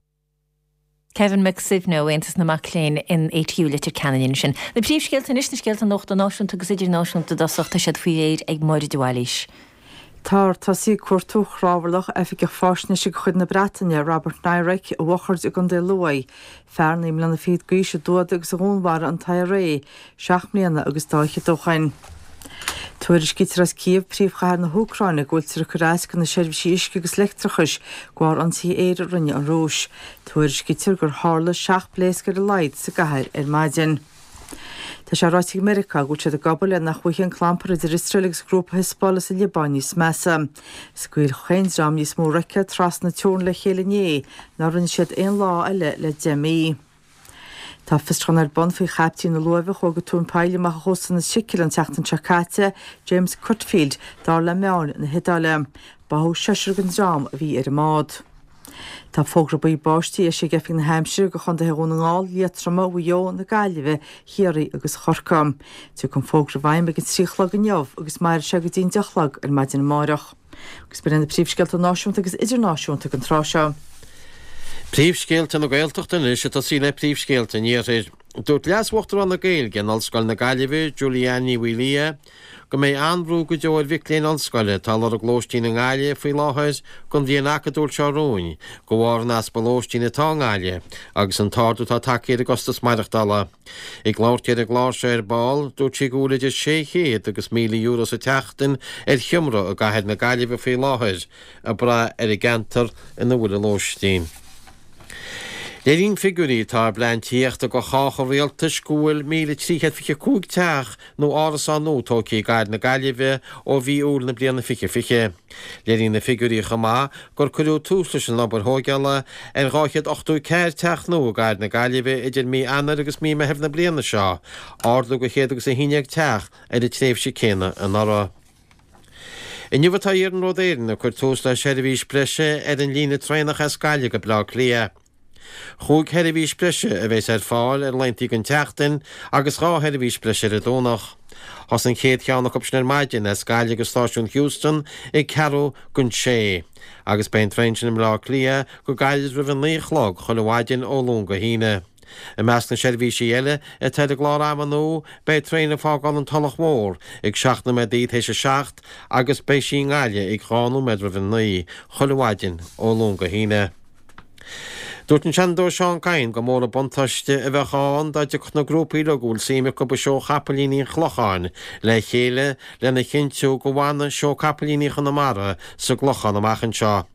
Kevin Mac Suibhne ó Aontas na Mac Léinn in ATU Leitir Ceanainn ansin. Na príomhscéalta anois, na scéalta nuachta náisiúnta agus idirnáisiúnta i dtosach, tá siad faoi réir ag Máire de Bhailís. Táthar tosaithe ag cuartú chnámharlach oifigeach faisnéise de chuid na Breataine, Robert Nairac, i bhFochaird i gContae Lú. Fear 29 mbliana d'aois a d'fhuadaigh agus a dhúnmharaigh an t-IRA seacht mbliana agus dá fhichead ó shoin. Tuairiscítear as Cív, príomhchathair na hÚcráine, go bhfuiltear ag cur as do na seirbhísí uisce agus leictreachais de bharr ionsaithe aeir a rinne an Rúis. Tuairiscítear gur tharla 7 bpléasc ar a laghad sa gcathair ar maidin. Tá sé ráite ag Meiriceá go bhfuil siad ag obair le nach bhfaighidh an clampar idir Iosrael agus grúpa Hezbollah sa Liobáin níos measa. Scaoil chaon dream níos mó roicéad trasna na teorann le chéile inné ná rinne siad aon lá eile le 10 mí. Tá fiosrúchán ar bun faoi chaiptín na luaimhe a chuaigh go tóin poill amach ó chósta na Sicile an tseachtain seo caite, James Cutfield, dar le meáin na hIodáile. Báthadh seisear den dream a bhí ar an mbád. Tá fógra buí báistí eisithe ag Oifig na hAimsire do chontaetha Dhún na nGall, Liatroma, Mhaigh Eo, na Gaillimhe, Chiarraí agus Chorcaí. Tiocfaidh an fógra i bhfeidhm ag an 3 a chlog inniu agus mairfidh sé go dtí an 10 a chlog ar maidin amárach. Agus b'in iad na príomhscéalta náisiúnta agus idirnáisiúnta don tráth seo. Príomhscéalta na Gaeltachta anois ag tosaí le príomhscéalta an Iarthair. Dúirt Leas-Uachtarán na Gaeilge in Ollscoil na Gaillimhe, Julie-Anne Ní Mhaoildhia, go mbeidh an-bhrú go deo ar mhic léinn ollscoile atá ag lorg lóistín i nGaillimh faoi láthair don bhliain acadúil seo romhainn de bharr an easpa lóistín atá i nGaillimh agus an t-ardú atá tagtha ar an gcostas maireachtála. Ag labhairt di ar an gclár seo ar ball, dúirt sí go bhfuil idir €600 agus €1,000 sa tseachtain ar sheomra i gcathair na Gaillimhe faoi láthair, ag brath ar an gceantar ina bhfuil an lóistín. Léiríonn figiúirí atá i bplean tithíochta do chách an rialtais go bhfuil 1,325 teach nó árasán nua tógtha i gcathair na Gaillimhe ó mhí Iúil na bliana 2020. Léiríonn na figiúirí chomh maith gur cuireadh tús leis an obair thóigeála ar 284 teach nua i gcathair na Gaillimhe idir mí Eanáir agus mí Meithimh na bliana seo, ardú de 111 teach ar an tréimhse céanna anuraidh. Inniu atá Iarnród Éireann ag cur tús le seirbhís breise ar an líne traenach as Gaillimh go Bleá Cliath. Chúig sheirbhís breise a bheas ar fáil ar laethanta den tseachtain agus 2 sheirbhís breise ar an Domhnach. Thosaigh an chéad cheann acu sin ar maidin as Gaillimh go stáisiún Heuston ag ceathrú don sé agus beidh an traein sin i mBleá Cliath go gairid roimh a naoi a chlog chuile mhaidin ó Luan go hAoine. I measc na seirbhísí eile atá ar an gclár ama nua, beidh traein ag fágáil an Tulach Mhór ag 7 nóiméadaí tar éis a 7 agus beidh sí i nGaillimh ag 2 nóiméad roimh a 9 chuile mhaidin ó Luan go hAoine. Dúirt an Seanadóir Seán Kyne gur mór an buntáiste a bheadh ann dá dtiocfadh na grúpaí uilig a bhfuil suim acu i seó chapaillíní an Chlocháin le chéile lena chinntiú go bhfanadh seó capaillíní Chonamara sa gClochán amach anseo.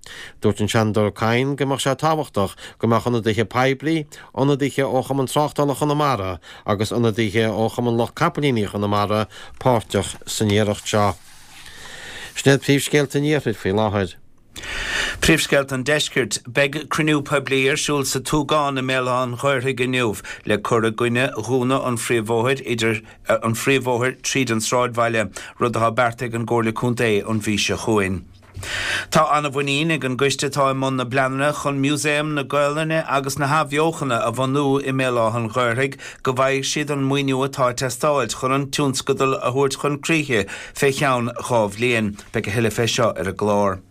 Dúirt an Seanadóir Kyne go mbeadh sé tábhachtach go mbeadh ionadaithe poiblí, ionadaithe ó Chumann Tráchtála Chonamara agus ionadaithe ó Chumann Lucht Capaillíní Chonamara páirteach san iarracht seo. Sin iad príomhscéalta an Iarthair faoi láthair. Príomhscéalta an Deiscirt. Beidh cruinniú poiblí ar siúl sa Túgán i mBéal Átha an Ghaorthaidh inniu le cur i gcoinne dhúnadh an phríomhbhóthair idir an phríomhbhóthair tríd an sráidbhaile, rud atá beartaithe ag an gComhairle Contae an mhí seo chugainn. Tá an-mhuinín ag an gcoiste atá i mbun na bpleananna chun Músaem na Gaolainne agus na hAthbheochana a bhunú i mBéal Átha an Ghaorthaidh go bhfaighidh siad an maoiniú atá ag teastáilt chun an tionscadal a thabhairt chun críche fé cheann 2 bhliain. Beidh a thuilleadh fé seo ar an gclár.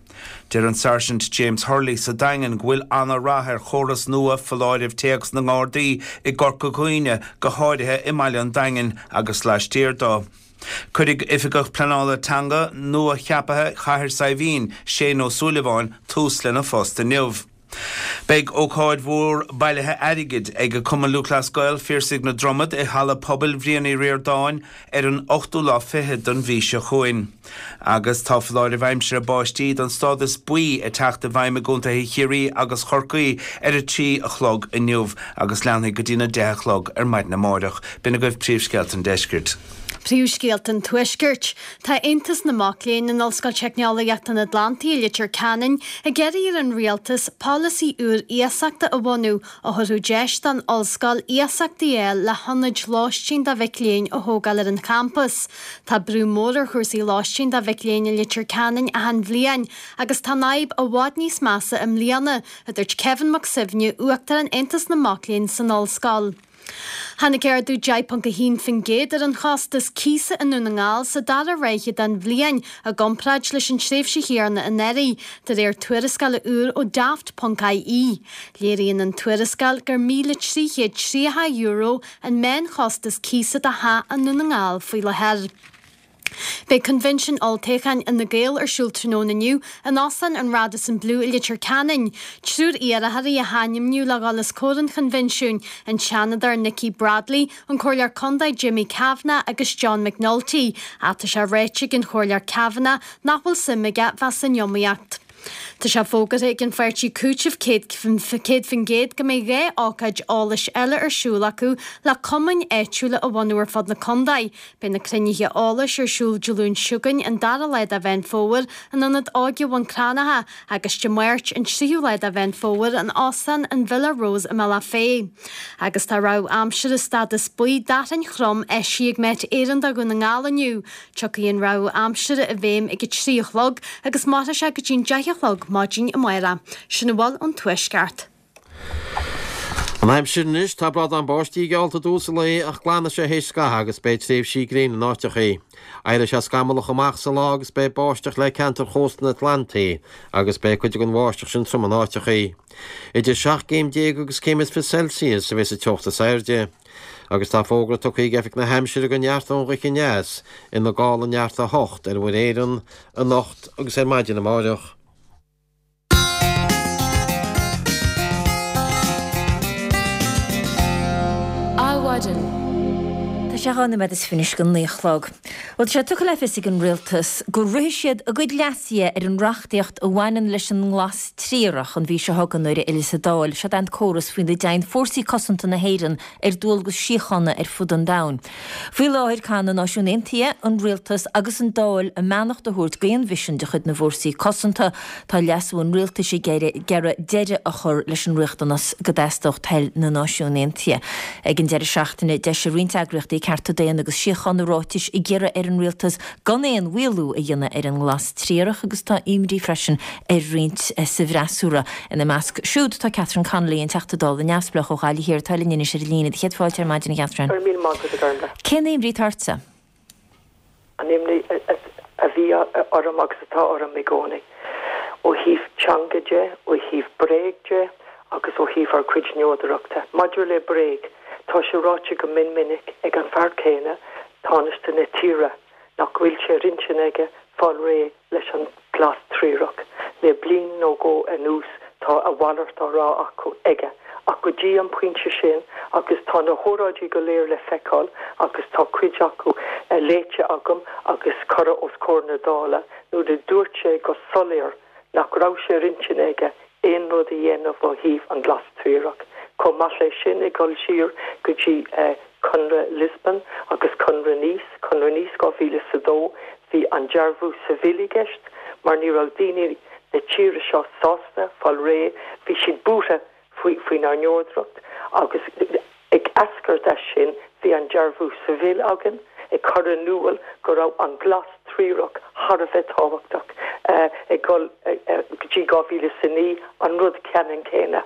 Deir an Sáirsint James Hurley sa Daingean go bhfuil ana-rath ar chóras nua foláirimh téacs na nGardaí i gCorca Dhuibhne, go háirithe i mbaile an Daingin agus laistiar dó. Cuirfidh Oifigeach Pleanála Teanga nua-cheaptha Chathair Saidhbhín, Shane Ó Súilleabháin, tús lena phost inniu. Beidh ócáid mhór bailithe airgid ag Cumann Lúthchleas Gael Phiarsaigh na Dromad i Halla Pobail Bhriain Uí Ríordáin ar an ochtú lá fichead den mhí seo chugainn. Agus tá foláireamh aimsire báistí den stádas buí ag teacht i bhfeidhm i gcontaetha Chiarraí agus Chorcaí ar a 3 a chlog inniu agus leanfaidh go dtína 10 a chlog ar maidin amáireach. B'in agaibh príomhscéalta an deiscirt. Príomhscéalta an Tuaiscirt. Tá Aontas na Mac Léinn in Ollscoil Teicneolaíochta an Atlantaigh i Leitir Ceanainn ag iarraidh ar an Rialtas polasaí úr iasachta a bhunú a thabharfadh deis don ollscoil iasachtaí a fháil le hionaid lóistín do mhic léinn a thógáil ar an champas. Tá brú mór ar chúrsaí lóistín do mhic léinn i Leitir Ceanainn achan bhliain agus tá an fhadhb i bhfad níos measa i mbliana, a dúirt Kevin Mac Suibhne, Uachtarán Aontas na Mac Léinn san ollscoil. Tháinig ardú 10.1% ar an chostas cíosa i nDún na nGall sa dara ráithe den bhliain i gcomparáid leis an tréimhse chéanna anuraidh, de réir tuarascála úr ó Daft.ie. Léiríonn an tuarascáil gur €1,330 an meánchostas cíosa do theach i nDún na nGall faoi láthair. Beidh Coinbhinsiún Olltoghcháin Fhine Gael ar siúl tráthnóna inniu in Óstán an Radisson Blu i Leitir Ceanainn. Triúr iarrthóirí a hainmníodh le dhul os comhair an choinbhinsiúin, an Seanadóir Nikki Bradley, an Comhairleoir Contae Jimmy Kavanagh agus John McNulty, ach tá sé ráite ag an Chomhairleoir Kavanagh nach bhfuil suim aige bheith san iomaíocht. Tá sé fógartha ag an pháirtí Cúiteamh 100% go mbeidh 2 ócáid eolais eile ar siúl acu le cumainn áitiúla a bhunú ar fud na contae. Beidh na cruinnithe eolais ar siúl Dé Luain seo chugainn, an dara lá de Mheán Fómhair, in Ionad Óige Bhun Cranncha agus Dé Máirt, an tríú lá de Mheán Fómhair, in Óstán an Villa Rose i mBealach Féich. Agus tá rabhadh aimsire stádas buí d'fhearthainn throm eisithe ag Met Éireann do Dhún na nGall inniu. Tiocfaidh an rabhadh aimsire i bhfeidhm ag a 3 a chlog agus mairfidh sé go dtí'n 10 a chlog maidin amárach. Sin a bhfuil ón Tuaisceart. An aimsir anois, tá brádán báistí geallta i dtús an lae ach glanfaidh sé théis scathaimh agus beidh tréimhsí gréine in áiteachaí. Éireoidh sé scamallach amach sa lá agus beidh báisteach le ceantar chósta an Atlantaigh agus beidh cuid den bháisteach sin trom in áiteachaí. Idir 17 gcéim agus céim is 20 Celsius a bheas an teocht is airde. Agus tá fógra tugtha ag Oifig na hAimsire go neartóidh an ghaoth aneas ina gála neart 8 ar Mhuir Éireann anocht agus ar maidin amáireach. Adhmhaidin. sé 2 nóiméad is fiche anois go 9 a chlog. Bhuel, tá sé tugtha le fios ag an Rialtas go rithfidh siad a gcuid leasuithe ar an reachtaíocht a bhaineann leis an nglas triarach an mhí seo chugainn nuair a fhilleas an Dáil. Seod é an córas faoina dtéann Fórsaí Cosanta na hÉireann ar dualgas síochána ar fud an domhain. Faoi láthair, caithfidh na Náisiúin Aontaithe, an Rialtas agus an Dáil a mbeannacht a thabhairt d'aon mhisean de chuid na bhFórsaí Cosanta. Tá leasú an Rialtais ag iarraidh deireadh a chur leis an riachtanas go dteastódh toil na Náisiún Aontaithe. Ag an deireadh seachtaine, d'eisigh roinnt eagraíochtaí cearta daonna agus síochána ráitis ag iarraidh ar an Rialtas gan aon mhaolú a dhéanamh ar an nglas triarach agus tá imní freisin ar roinnt sa bhfreasúra. Ina measc siúd tá Catherine Connolly, an Teachta Dála neamhspleách ó Ghaillimh Thiar atá linn anois ar an líne. Céad fáilte ar maidin, a Chatherine. Go raibh míle maith agat, a Ghormlaith. Cén imní atá ortsa? An imní a bhí orm agus atá orm i gcónaí, ó thaobh teanga de, ó thaobh bréag de agus ó thaobh ár gcuid neodrachta. Maidir le bréag, tá sé ráite go mion minic ag an fear céanna, Tánaiste na tíre, nach bhfuil sé ar intinn aige fáil réidh leis an glas triarach. Le bliain nó dhó anuas tá a mhalairt á rá acu, aige. Ach go dtí an pointe sin, agus tá na hóráidí go léir le feiceáil agus tá cuid acu léite agam agus curtha os comhair na Dála, nuair a dúirt sé go soiléir nach raibh sé ar intinn aige aon rud a dhéanamh ó thaobh an glas triarach. Chomh maith leis sin, ag dul siar go dtí Conradh Lisbon agus Conradh Nice, Conradh Nice 2002, bhí an dearbhú Seville i gceist mar ní raibh daoine na tíre seo sásta fáil réidh, bhí siad buartha faoinár neodracht agus ag eascairt as sin bhí an dearbhú Seville againn ag cur in iúl go raibh an glas triarach thar a bheith tábhachtach ag dul go dtí 2009, an rud ceannann céanna.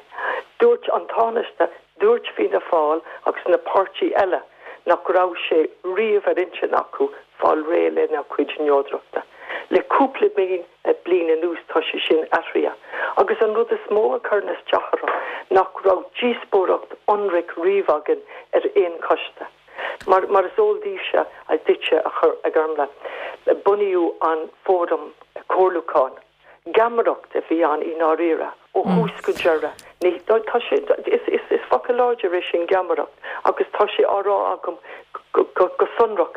Dúirt an Tánaiste, dúirt Fianna Fáil agus na páirtí eile nach raibh sé riamh ar intinn acu fáil réidh lenár gcuid neodrachta. Le cúpla bliain anuas tá sé sin athraithe. Agus an rud is mó a chuireann isteach orm nach raibh díospóireacht ionraic riamh againn ar aon choiste. Mar mar is eol daoibhse, duitse, a Ghormlaith, bunaíodh an Fóram Comhairliúcháin. Geamaireacht a bhí ann i ndáiríre, ó thús go deireadh. Ní, tá sé, is, is, is focal láidir é sin geamaireacht agus tá sé á rá agam go, go, go sonrach.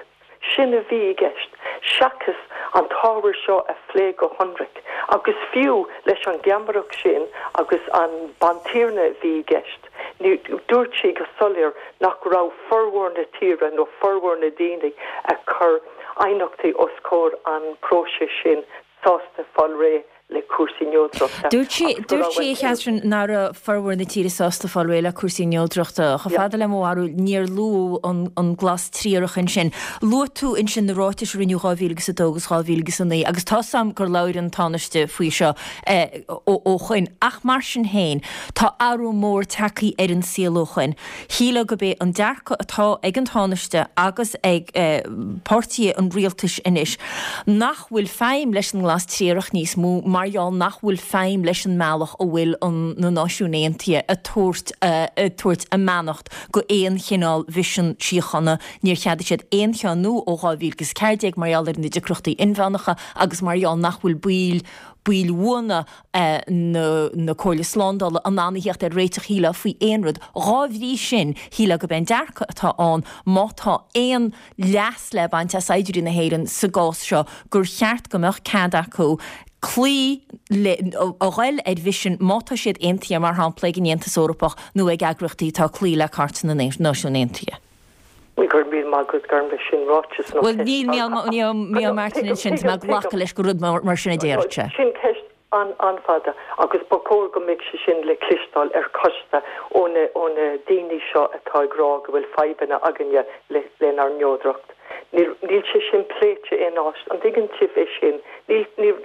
Sin a bhí i gceist, seachas an t-ábhar seo a phlé go hionraic. Agus fiú leis an gheamaireacht sin agus an bantiarna a bhí i gceist, ní, dúirt sí go soiléir nach raibh formhór na tíre nó formhór na daoine a chuir aighneachtaí os comhair an próiseas sin sásta fáil réidh le cúrsaí neodrachta Dúirt sí, agus go dúirt raibh sí, a Chatherine, nach raibh formhór na tíre sásta fáil réidh le cúrsaí neodrachta. Chomh fada le mo bharúil, níor luadh an, an glas triarach ansin. Luaigh tú ansin na ráitis a rinneadh 2000 agus 2 agus 2000 agus 9 agus tá 's a'm gur labhair an Tánaiste faoi seo eh, ó, ó shoin. Ach mar sin féin, tá athrú mór tagtha ar an saol ó shoin. Shílfeá gurb é an dearcadh atá ag an Tánaiste agus ag páirtithe an rialtais anois nach bhfuil feidhm leis an nglas triarach níos mó mar gheall nach bhfuil feidhm leis an mbealach a bhfuil an na Náisiúin Aontaithe ag tabhairt ag tabhairt a mbeannacht go aon chineál mhisean síochána. Níor cheadaigh siad aon cheann nua ó 2014 mar gheall ar na deacrachtaí inmheánacha agus mar gheall nach bhfuil baill baill bhuana na Comhairle Slándála in ann a theacht ar réiteach shílfeá faoi aon rud. Dhá bhrí sin, shílfeá gurb é an dearcadh atá ann, má tá aon leas le baint as saighdiúirí na hÉireann sa gcás seo, gur cheart go mbeadh cead acu cloí le, a ghoil ar mhisin má tá siad aontaithe, mar shampla, ag an Aontas Eorpach nó ag eagraíochtaí atá ag cloí le Cairt na Náisiún Aontaithe. Ní go raibh míle maith agat Gormlaith, sin ráiteas nó Bhuel, níl Micheál Martin ansin, tá mé ag glacadh leis gur rud mar sin a déarfadh sé. Sin ceist an-fhada agus ba chóir go mbeadh sé sin le cloisteáil ar choiste ó na daoine seo atá ag rá go bhfuil fadhbanna againne lenár neodracht. Níl sé sin pléite aon áit. An dtuigeann sibh é sin? Níl,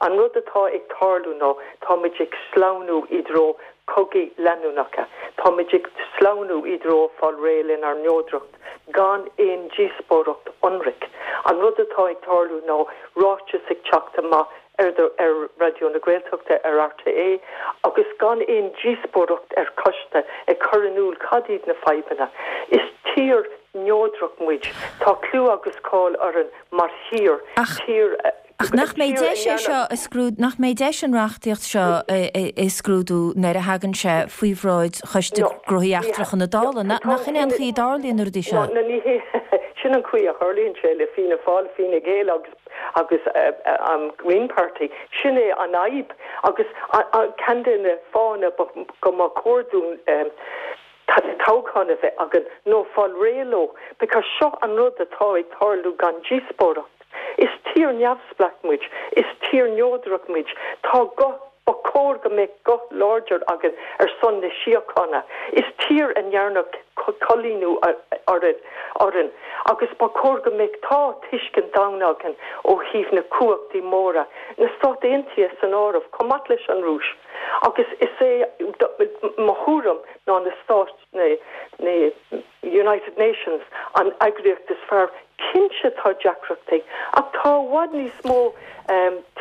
an rud atá ag tarlú ná táimid ag sleamhnú i dtreo cogaí leanúnacha. Táimid ag sleamhnú i dtreo fáil réidh lenár neodracht gan aon díospóireacht ionraic. An rud atá ag tarlú ná ráiteas ag teacht amach ar ar Raidió na Gaeltachta, ar RTÉ, agus gan aon díospóireacht ar choiste ag cur in iúl cad iad na fadhbanna. Is tír neodrach muid. Tá clú agus cáil orainn mar thír, tír a. Ach nach mbeidh deis é seo a scrúdú, nach mbeidh deis an reachtaíocht seo a scrúdú nuair a thagann sé faoi bhráid Choiste Gnóthaí Eachtracha na Dála? Nach in é an chaoi a dtarlaíonn na rudaí seo? No, ní hé. Sin an chaoi a tharlaíonn sé le Fianna Fáil, Fine Gael agus agus an Green Party. Sin é an fhadhb agus ceann de na fáthanna go mba chóir dúinn toghchán a bheith againn nó fáil réidh leo because seo an rud atá ag tarlú gan díospóireacht. Is tír neamhspleách muid, is tír neodrach muid, tá guth, ba chóir go mbeadh guth láidir againn ar son na síochána. Is tír a ndearnadh coilíniú orainn agus ba chóir go mbeadh, tá tuiscint domhain againn ó thaobh na cumhachtaí móra, na Stáit Aontaithe san áireamh, chomh maith leis an Rúis. Agus is é mo thuairim ná na Stáit, na United Nations an eagraíocht is fearr. Cinnte tá deacrachtaí ach tá i bhfad níos mó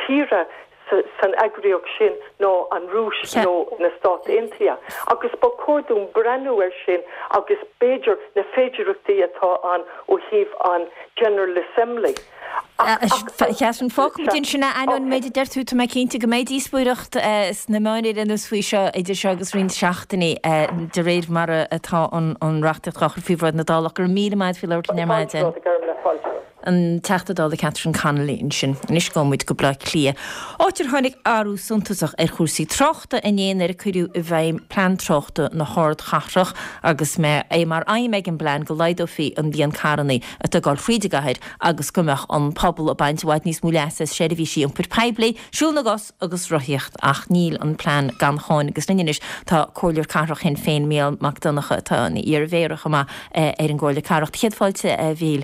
tíortha san eagraíocht sin ná an Rúis nó na Stáit Aontaithe agus ba chóir dúinn breathnú air sin agus b'fhéidir na féidearthachtaí atá ann ó thaobh an General Assembly. Catherine, fágfaimid ansin é, ainneoin an méid a deir tú, tá mé cinnte go mbeidh díospóireacht sna meáin ar aon nós faoi seo idir seo agus roinnt seachtainí, de réir mar atá an reachtaíocht á chur faoi bhráid na Dála. Go raibh míle maith agat faoi labhairt linn ar maidin. An Teachta Dála Catherine Connolly ansin. Anois gabhfaidh muid go Baile Átha Cliath, áit ar tháinig athrú suntasach ar chúrsaí tráchta inné nuair a cuireadh i bhfeidhm Plean Tráchta na hArdchathrach agus é mar aidhm ag an bplean go laghdófaí an líon carranna atá ag dul thríd an gcathair agus go mbeadh an pobal ag baint i bhfad níos mó leasa as seirbhísí iompair poiblí, siúl na gcos agus rothaíocht. Ach níl an plean gan cháin agus linn anois tá Comhairleoir Cathrach Shinn Féin, Mícheál Mac Donncha, atá ina iar-mhéara chomh maith ar an gComhairle Cathrach. Céad fáilte, a Mhíchíl.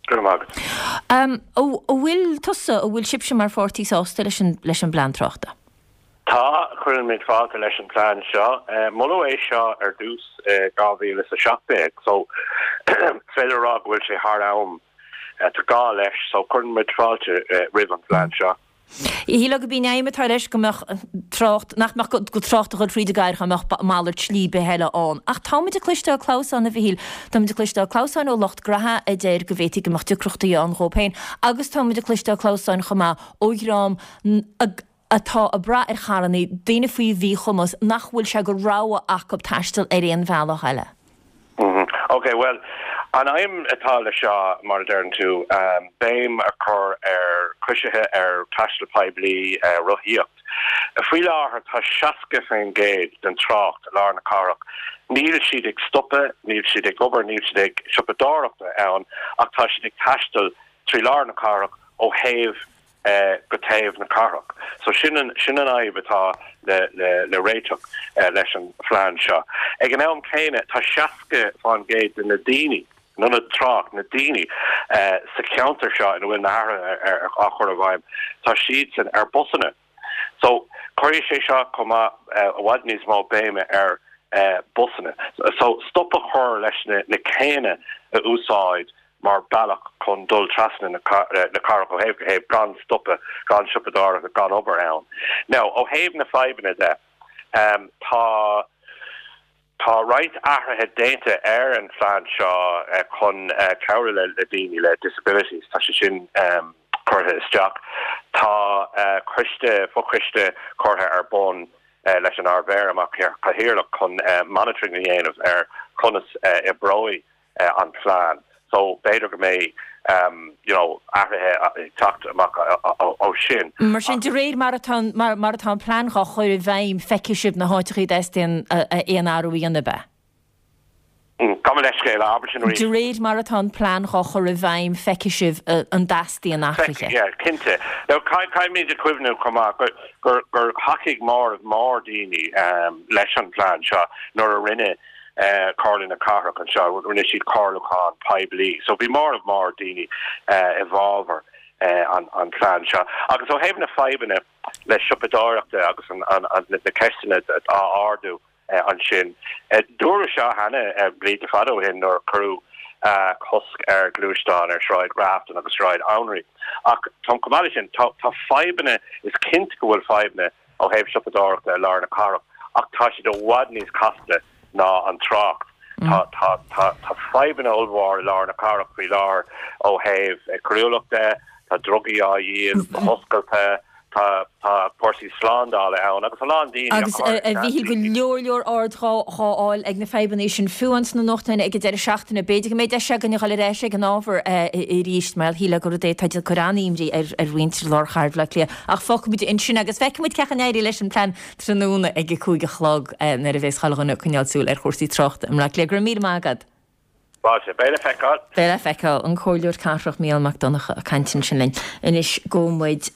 Go raibh maith agat. An bhfuil tusa, an bhfuil sibhse mar pháirtí sásta leis an leis an bplean tráchta? Tá, cuirimid fáilte leis an bplean seo. Moladh é seo ar dtús i 2017 so is féidir a rá go bhfuil sé thar am. Tá gá leis so cuireann muid fáilte roimh an phlean seo. Shílfeá gurb í an aidhm atá leis go mbeadh trácht, nach mbeadh trácht ag dul fríd an gcathair dá mbeadh malairt slí ar bith eile ann. Ach tá muid ag cloisteáil clamhsán, a Mhichíl. Tá muid ag cloisteáil clamhsáin ó lucht graithe a deir go bhféadfaí go mbeadh deacrachtaí ann dhóibh féin agus tá muid ag cloisteáil clamhsáin chomh maith ó dhream atá ag brath ar charrannaí, daoine faoi mhíchumas, nach bhfuil sé de rogha acu taisteal ar aon bhealach eile. Ok, bhuel, an aidhm atá le seo, mar a deireann tú, béim a chur ar choisithe, ar taisteal poiblí, rothaíocht. Faoi láthair tá 60% den trácht i lár na cathrach, níl siad ag stopadh, níl siad ag obair, níl siad ag siopadóireacht ann ach tá siad ag taisteal trí lár na cathrach ó thaobh go taobh na cathrach. So sin an, sin an fhadhb atá le, le, le réiteach leis an phlean seo. Ag an am céanna, tá 60% de na daoine, not an trácht, na daoine sa cheantar seo ina bhfuil na hathruithe á chur i bhfeidhm, tá siadsan ar busanna. So cuirfidh sé seo chomh maith i bhfad níos mó béime ar busanna. So stop a chur leis na, na céanna a úsáid mar bealach chun dul trasna na cathrach ó thaobh go thaobh gan stopadh, gan siopadóireacht, gan obair ann. Now, ó thaobh na fadhbanna de, tá tá roinnt athruithe déanta ar an phlean seo chun cabhrú le daoine le disabilities, tá sé sin curtha isteach. Tá coiste, fochoiste curtha ar bun leis an Ard-Mhéara mar chathaoirleach chun monitoring a dhéanamh ar conas a oibreoidh an plean. So b'fhéidir go mbeidh you know athruithe ag teacht amach ó sin. Mar sin, de réir mar atá mar atá an plean dhá chur i bhfeidhm, feicfidh sibh na háiteachaí a dteastaíonn aon athrú a dhéanamh, ab ea? Gabh mo leithscéal, abair sin arís. De réir mar atá an plean dhá chur i bhfeidhm, feicfidh sibh an dteastaíonn athruithe. Yeah, cinnte. Now, caithfimid a chuimhniú chomh maith gur gur thacaigh móramh mór daoine leis an phlean seo nuair a rinne Comhairle na Cathrach anseo, rinne siad comhairliúchán poiblí. So bhí móramh mór daoine i bhfabhar an phlean seo. Agus ó thaobh na fadhbanna le siopadóireachta agus na ceisteanna á ardú ansin, dúradh seo cheana blianta fada ó shin nuair a cuireadh cosc ar ghluaisteáin ar Shráid Grafton agus Sráid Anraí. Ach chomh maith leis sin, tá fadhbanna, is cinnte go bhfuil fadhbanna ó thaobh siopadóireachta i lár na cathrach ach tá siad i bhfad níos casta ná an trácht. Tá tá tá tá fadhbanna ollmhór i lár na cathrach faoi láthair ó thaobh coiriúlachta, tá drugaí á dhíol go hoscailte, Tá tá cúrsaí slándála ann agus a lán daoine á Agus cur a Mhíchíl, go leor leor aird dhá fháil ag na fadhbanna sin fiú ins na nuachtáin ag an deireadh seachtaine. B'fhéidir go mbeidh deis againn a dhul ar ais ag an ábhar arís mar shílfeá gur rud é atá ag cur an-imní ar ar mhuintir lár chathair Bhaile Átha Cliath. Ach fágfaimid ansin agus feicfimid cén chaoi a n-éireoidh leis an plean tráthnóna ag a 5 a chlog nuair a bheas chuile dhuine ag coinneáil súil ar chúrsaí tráchta i mBleá Cliath. Go raibh míle maith agat. Fáilte. Beidh le feiceáil. Beidh le feiceáil. An Comhairleoir Cathrach Mícheál Mac Donncha ag caint ansin linn. Anois gabhfaidh muid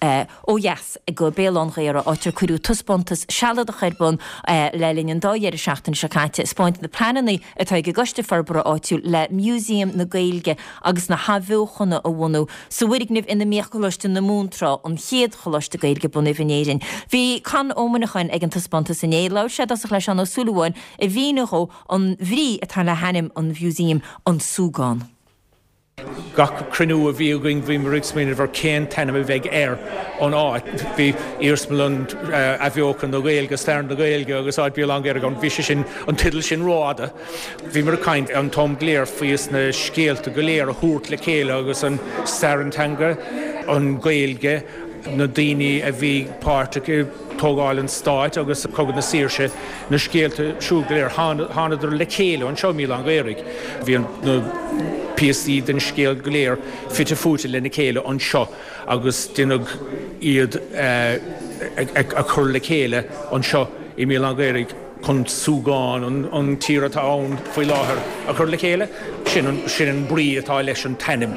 ó dheas go Béal Átha'n Ghaorthaidh, áit ar cuireadh taispeántas sealadach ar bun le linn an dá dheireadh seachtaine seo caite ag spáint na pleananna atá ag an gCoiste Forbartha Áitiúil le Museum na Gaeilge agus na hAthbheochana a bhunú sa bhfoirgneamh ina mbíodh Coláiste na Mumhan tráth, an chéad choláiste Gaeilge bunaithe in Éirinn. Bhí Con Ó Muineacháin ag an taispeántas inné. Labhair sé i dtosach le Seán Ó Súilleabháin a mhínigh dhó An bhrí atá le hainm an mhúsaeim, An Súgán. Gach cruinniú a bhí againn bhíomar ag smaoineamh ar cén t-ainm a bheidh ar an áit. Bhí Iarsmalann Athbheochan na Gaeilge, Stair na Gaeilge agus áit Béal Átha'n Ghaorthaidh ann. Bhí sé sin, an teideal sin rófhada. Bhíomar ag caint an t-am go léir faoi na scéalta go léir a thabhairt le chéile agus an stair an teanga, an Ghaeilge, na daoine a bhí páirteach i tógáil an stáit agus Cogadh na Saoirse, na scéalta siúd go léir, thánadar le chéile anseo i mBéal Átha'n Ghaorthaidh. Bhí na píosaí den scéal go léir fite fuaite lena chéile anseo agus déanadh iad a chur le chéile anseo i mBéal Átha'n Ghaorthaidh. chun súgán an tír atá ann faoi láthair a chur le chéile. Sin an brí atá leis an t-ainm.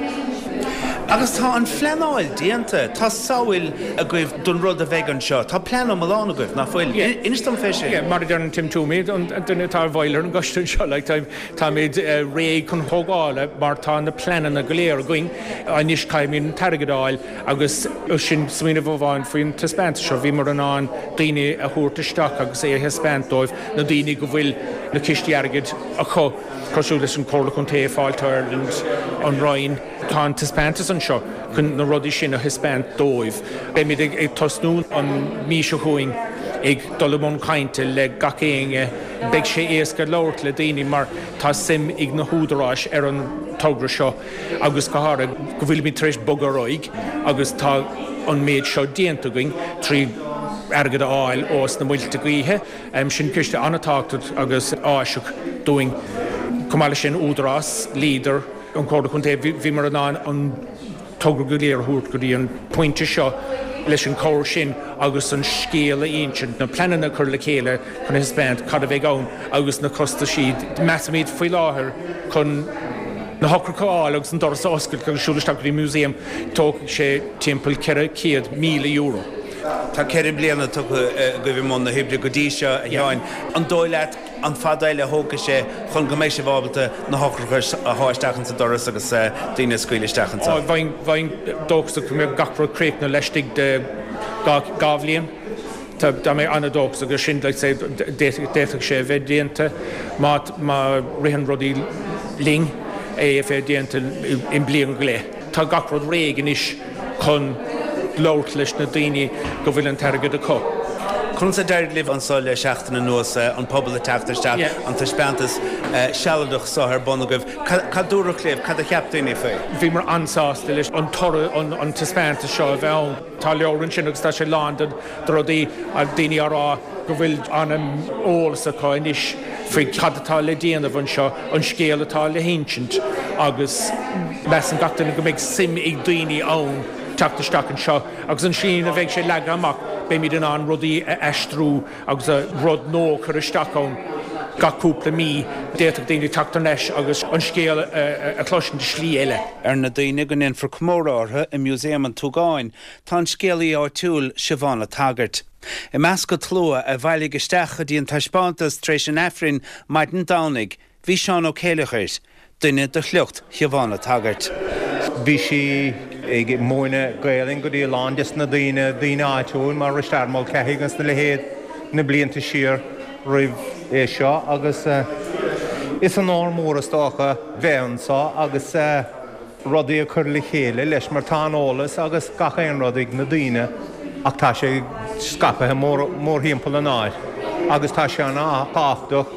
Agus tá an phleanáil déanta, tá samhail agaibh don rud a bheidh anseo, tá plean iomlán agaibh, nach bhfuil? Inis dom fé sin. Yeah, mar a deireann Tim Twomey, an duine atá i bhfeighil ar an gcoiste anseo, like, táimid réidh chun tógála mar tá na pleananna go léir againn. Anois caithfimid an t-airgead a fháil Agus sin smaoineamh amháin faoin taispeántas seo, bhíomar in ann daoine a thabhairt isteach agus é a thaispeáint dóibh, na daoine go bhfuil na cistí airgid acu, cosúil leis an Chomhairle Contae, Fáilte Ireland, an Roinn. Tá an taispeántas anseo chun na rudaí sin a thaispeáint dóibh. Beimid ag tosnú an mhí seo chugainn ag dul i mbun cainte le gach éinne. Beidh sé éasca labhairt le daoine mar tá suim ag na húdaráis ar an togra seo. agus go háirithe go bhfuilimid tar éis bogadh ar aghaidh agus tá an méid seo déanta againn trí airgead a fháil ós na muilte gaoithe. Sin ciste an-tábhachtach agus áiseach dúinn. Chomh maith leis sin, Údarás, Leader, an Chomhairle Contae, bhíomar in ann an togra go léir a thabhairt go dtí an pointe seo leis an chabhair sin agus an scéal a insint, na pleananna a chur le chéile chun a thaispeáint cad a bheidh ann agus na costaisí. Measaimid faoi láthair chun na heochracha a fháil agus an doras a oscailt agus siúl isteach go dtí an museum, tógfaidh sé timpeall €400,000. Tá 4 bliana tugtha agaibh i mbun na hoibre go dtí seo, a Sheáin. An dóigh leat an fad eile a thógfaidh sé chun go mbeidh sibh ábalta na heochracha a shá isteach insa doras agus daoine a scaoileadh isteach anseo? Bheinn dóchasach go mbeadh gach rud críochnaithe laistigh de 2 bhliain. Tá mé an-dóchasach air sin, like say, d'fhéadfadh sé a bheith déanta má má ritheann rudaí linn, é a bheith déanta i mbliain go leith. Tá gach rud réidh anois chun labhairt leis na daoine go bhfuil an t-airgead acu. Conas a d'éirigh libh anso le seachtain anuas, an pobal ag teacht isteach, an taispeántas sealadach seo ar bun agaibh? Cad dúradh libh? Cad a cheap daoine faoi? Bhíomar an-sásta leis an toradh, an taispeántas seo a bheith ann. Tá leabhar ansin agus tá sé lán de rudaí, daoine á rá go bhfuil an-eolas acu anois faoi cad atá le déanamh anseo, an scéal atá le hinsint agus measann gach duine go mbeidh suim ag daoine ann teacht isteach anseo agus an tslí ina bheidh sé leagtha amach beimid in ann rudaí a aistriú agus rud nua a chur isteach ann gach cúpla mí. D'fhéadfadh daoine teacht thar n-ais agus an scéal a chloisint i slí eile. Ar na daoine go ndéanfar comóradh orthu i Músaem an tSúgáin tá an scéalaí áitiúil Siobhán a' tSagairt. I measc an tslua a bhailigh isteach go dtí an taispeántas tar éis an Aifrinn maidin Domhnaigh Bhí Seán Ó Céileachair, duine de shliocht Shiobhán a' tSagairt. Bhí sí ag múineadh Gaelainn go dtí a lán des na daoine, daoine áitiúil mar Risteard Mulcahy agus a leithéid na blianta siar roimh é seo agus is onóir mór is dócha bheith anso agus rudaí a chur le chéile leis mar tá an eolas agus gach aon rud ag na daoine ach tá sé scaipthe mórthimpeall an áit agus tá sé an-tábhachtach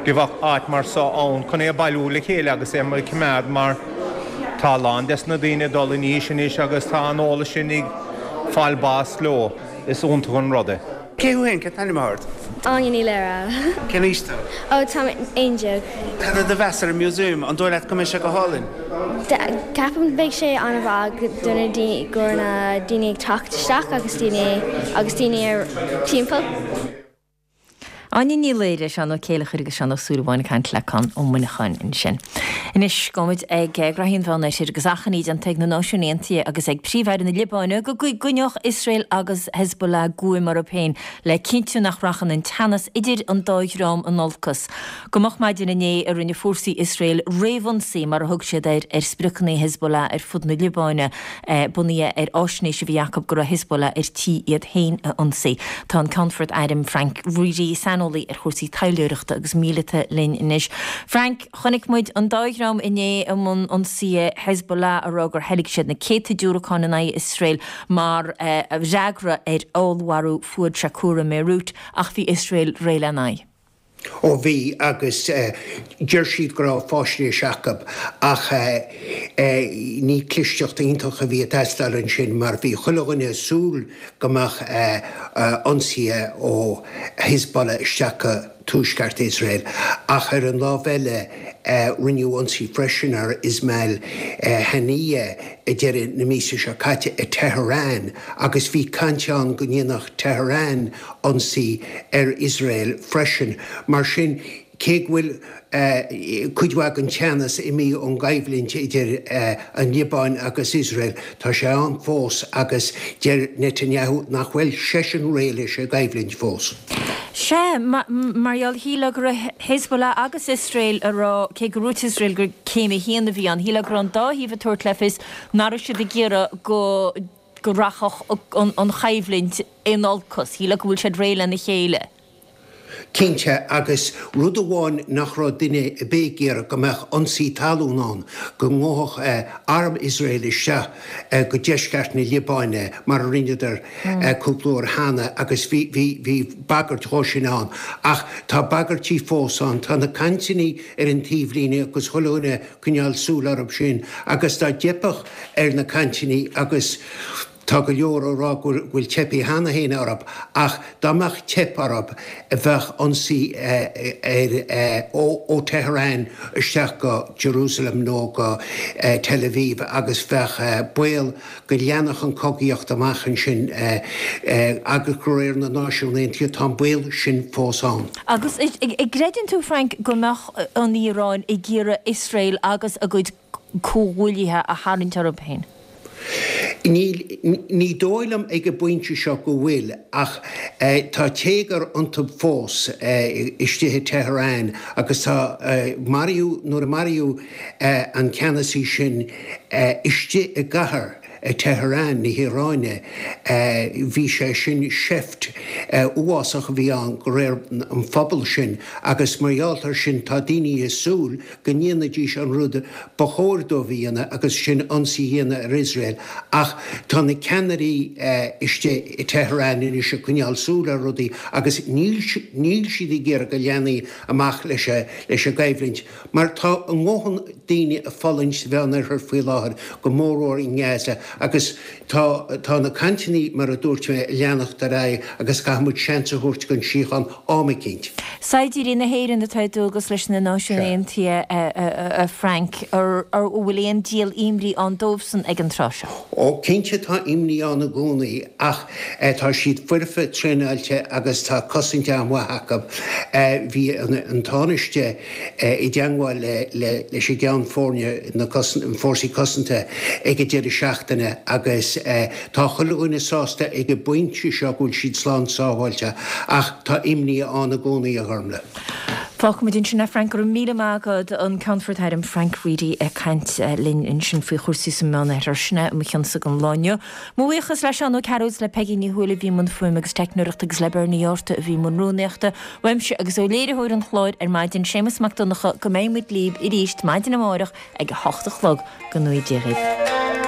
go bheadh áit mar so ann chun é a bailiú le chéile agus é a choimeád mar tá a lán des na daoine ag dul in aois anois agus tá an eolas sin ag fáil bás leo. Is iontach an rud é. Cé thú féin? Cén t-ainm atá ort? Áine Ní Laoire. Cén aois tú? Ó, táim 11. Cad é do mheas ar an museum? An dóigh leat go mbeidh sé go hálainn? Ceapaim beidh sé an-mhaith do na daoine, go na daoine ag teacht isteach agus daoine agus daoine ar timpeall. Áine Ní Laoire, Seán Ó Céileachair agus Seán Ó Súilleabháin ag caint le Conn Ó Muineacháin ansin. Anois, gabhfaimid ag graithí an Mheánoirthir agus achainí déanta ag na Náisiúin Aontaithe agus ag Príomh-Aire na Liobáine go gcoinneodh Iosrael agus Hezbollah guaim orthu féin le cinntiú nach rachadh an teannas idir an dá dhream in olcas. Go moch maidin inné a rinne fórsaí Iosrael réamhionsaí, mar a thug siad air, ar spriocanna Hezbollah ar fud na Liobáine. bunaithe ar fháisnéis a bhí acu go raibh Hezbollah ar tí iad féin a ionsaí. Tá an Ceannfort Airm Frank Reidy, saineolaí ar chúrsaí taidhleoireachta agus míleata linn anois. Frank, chonaic muid an dá dhream inné i mbun ionsaithe, Hezbollah ag rá gur theilg siad na céadta diúracán in aghaidh Iosrael mar fhreagra ar fheallmharú Fuad Shakur i mBeirut ach bhí Iosrael réidh lena n-aghaidh. Ó bhí, agus deir siad go raibh fáisnéis acu, ach ní clisteacht iontach a bhí ag teastáil ansin mar bhí chuile dhuine ag súil go mbeadh ionsaithe ó Hezbollah isteach go tuaisceart Iosrael. Ach ar an lámh eile, rinneadh ionsaí freisin ar Ismail Haniyeh ag deireadh na míosa seo caite i Tehran agus bhí caint ann go ndéanfadh Tehran ionsaí ar Iosrael freisin. Mar sin, cé go bhfuil cuid mhaith den teannas imithe ón gcoimhlint idir an Liobáin agus Iosrael, tá sé ann fós agus deir Netanyahu nach bhfuil seisean réidh leis an gcoimhlint fós. Sea, mar gheall, shílfeá go raibh Hezbollah agus Iosrael ag rá, cé go ndúirt Iosrael gur céim a haon a bhí ann, shílfeá go raibh an dá thaobh ag tabhairt le fios nach raibh siad ag iarraidh go go rachadh an choimhlint in olcas. Shílfeá go bhfuil siad réidh lena chéile. Cinnte, agus rud amháin nach raibh duine ar bith ag iarraidh, go mbeadh ionsaí talún ann, go ngabhfadh arm Iosrael isteach go deisceart na Liobáine, mar a rinneadar cúpla uair cheana, agus bhí, bhí, bhí bagairt dhó sin ann. Ach tá bagairtí fós ann. Tá na cainteanna ar an taobhlíne agus chuile dhuine ag coinneáil súil orthu sin, agus dá dteipfeadh ar na cainteanna agus tá go leor á rá go bhfuil teipthe cheana féin orthu ach dá mbeadh teip orthu bheadh ionsaí ar ó Tehran isteach go Jerusalem nó go Tel Aviv agus bheadh baol go leanfadh an cogaíocht amach ansin agus de réir na Náisiún Aontaithe tá an baol sin fós ann. Agus an gcreideann tú, Frank, go mbeadh an Iaráin ag iarraidh Iosrael agus a gcuid comhghuaillithe a tharraingt orthu féin? Níl, ní dóigh liom ag an bpointe seo go bhfuil, ach tá téagar iontu fós istigh i Tehran agus tá, maraíodh, nuair a maraíodh an ceannasaí sin istigh i gcathair Tehran na hIaráine, bhí sé sin seift uafásach a bhí ann de réir an phobail sin agus mar gheall air sin tá daoine ag súil go ndéanfaidís an rud ba chóir dóibh a dhéanamh agus sin ionsaí a dhéanamh ar Iosrael ach tá na ceannairí istigh i Tehran anois ag coinneáil súil ar rudaí agus níl níl siad ag iarraidh go leanfaí amach leis leis an gcoimhlint mar tá a ndóthain daoine ag fulaingt sa Mheánoirthear faoi láthair, go mórmhór i nGaza agus tá tá na cainteanna mar a dúirt mé ag leanacht ar aghaidh agus caithfidh muid seans a thabhairt don síocháin am eicínt. Saighdiúirí na hÉireann atá ar dualgas leis na Náisiúin Aontaithe, a Frank, an bhfuil aon díol imní ann dóibhsan ag an tráth seo? Ó, cinnte tá imní ann i gcónaí ach tá siad foirfe, traenáilte agus tá cosaint an-mhaith acu. Bhí an Tánaiste i dteangmháil leis an gceann foirne na Fórsaí Cosanta ag an deireadh seachtaine agus tá chuile dhuine sásta ag an bpointe seo go bhfuil siad slán sábháilte ach tá imní ann i gcónaí, a Ghormlaith. Fágfaimid ansin é, Frank. Go raibh míle maith agat. An Ceannfort Airm Frank Reidy ag caint linn ansin faoi chúrsaí sa Mheánoirthear. Sin é mo chionsa don lá inniu. Mo bhuíochas le Seán Ó Cearúil is le Peigí Ní Thuathail a bhí i mbun fuaime agus teicneoireachta agus le Bernie Arthur a bhí i mbun rúnaíochta. Uaimse agus ó léiritheoir an chláir ar maidin, Séamus Mac Donncha, go mbeidh muid libh arís maidin amárach ag a hocht a chlog. Go ngnóthaí Dia dhaoibh.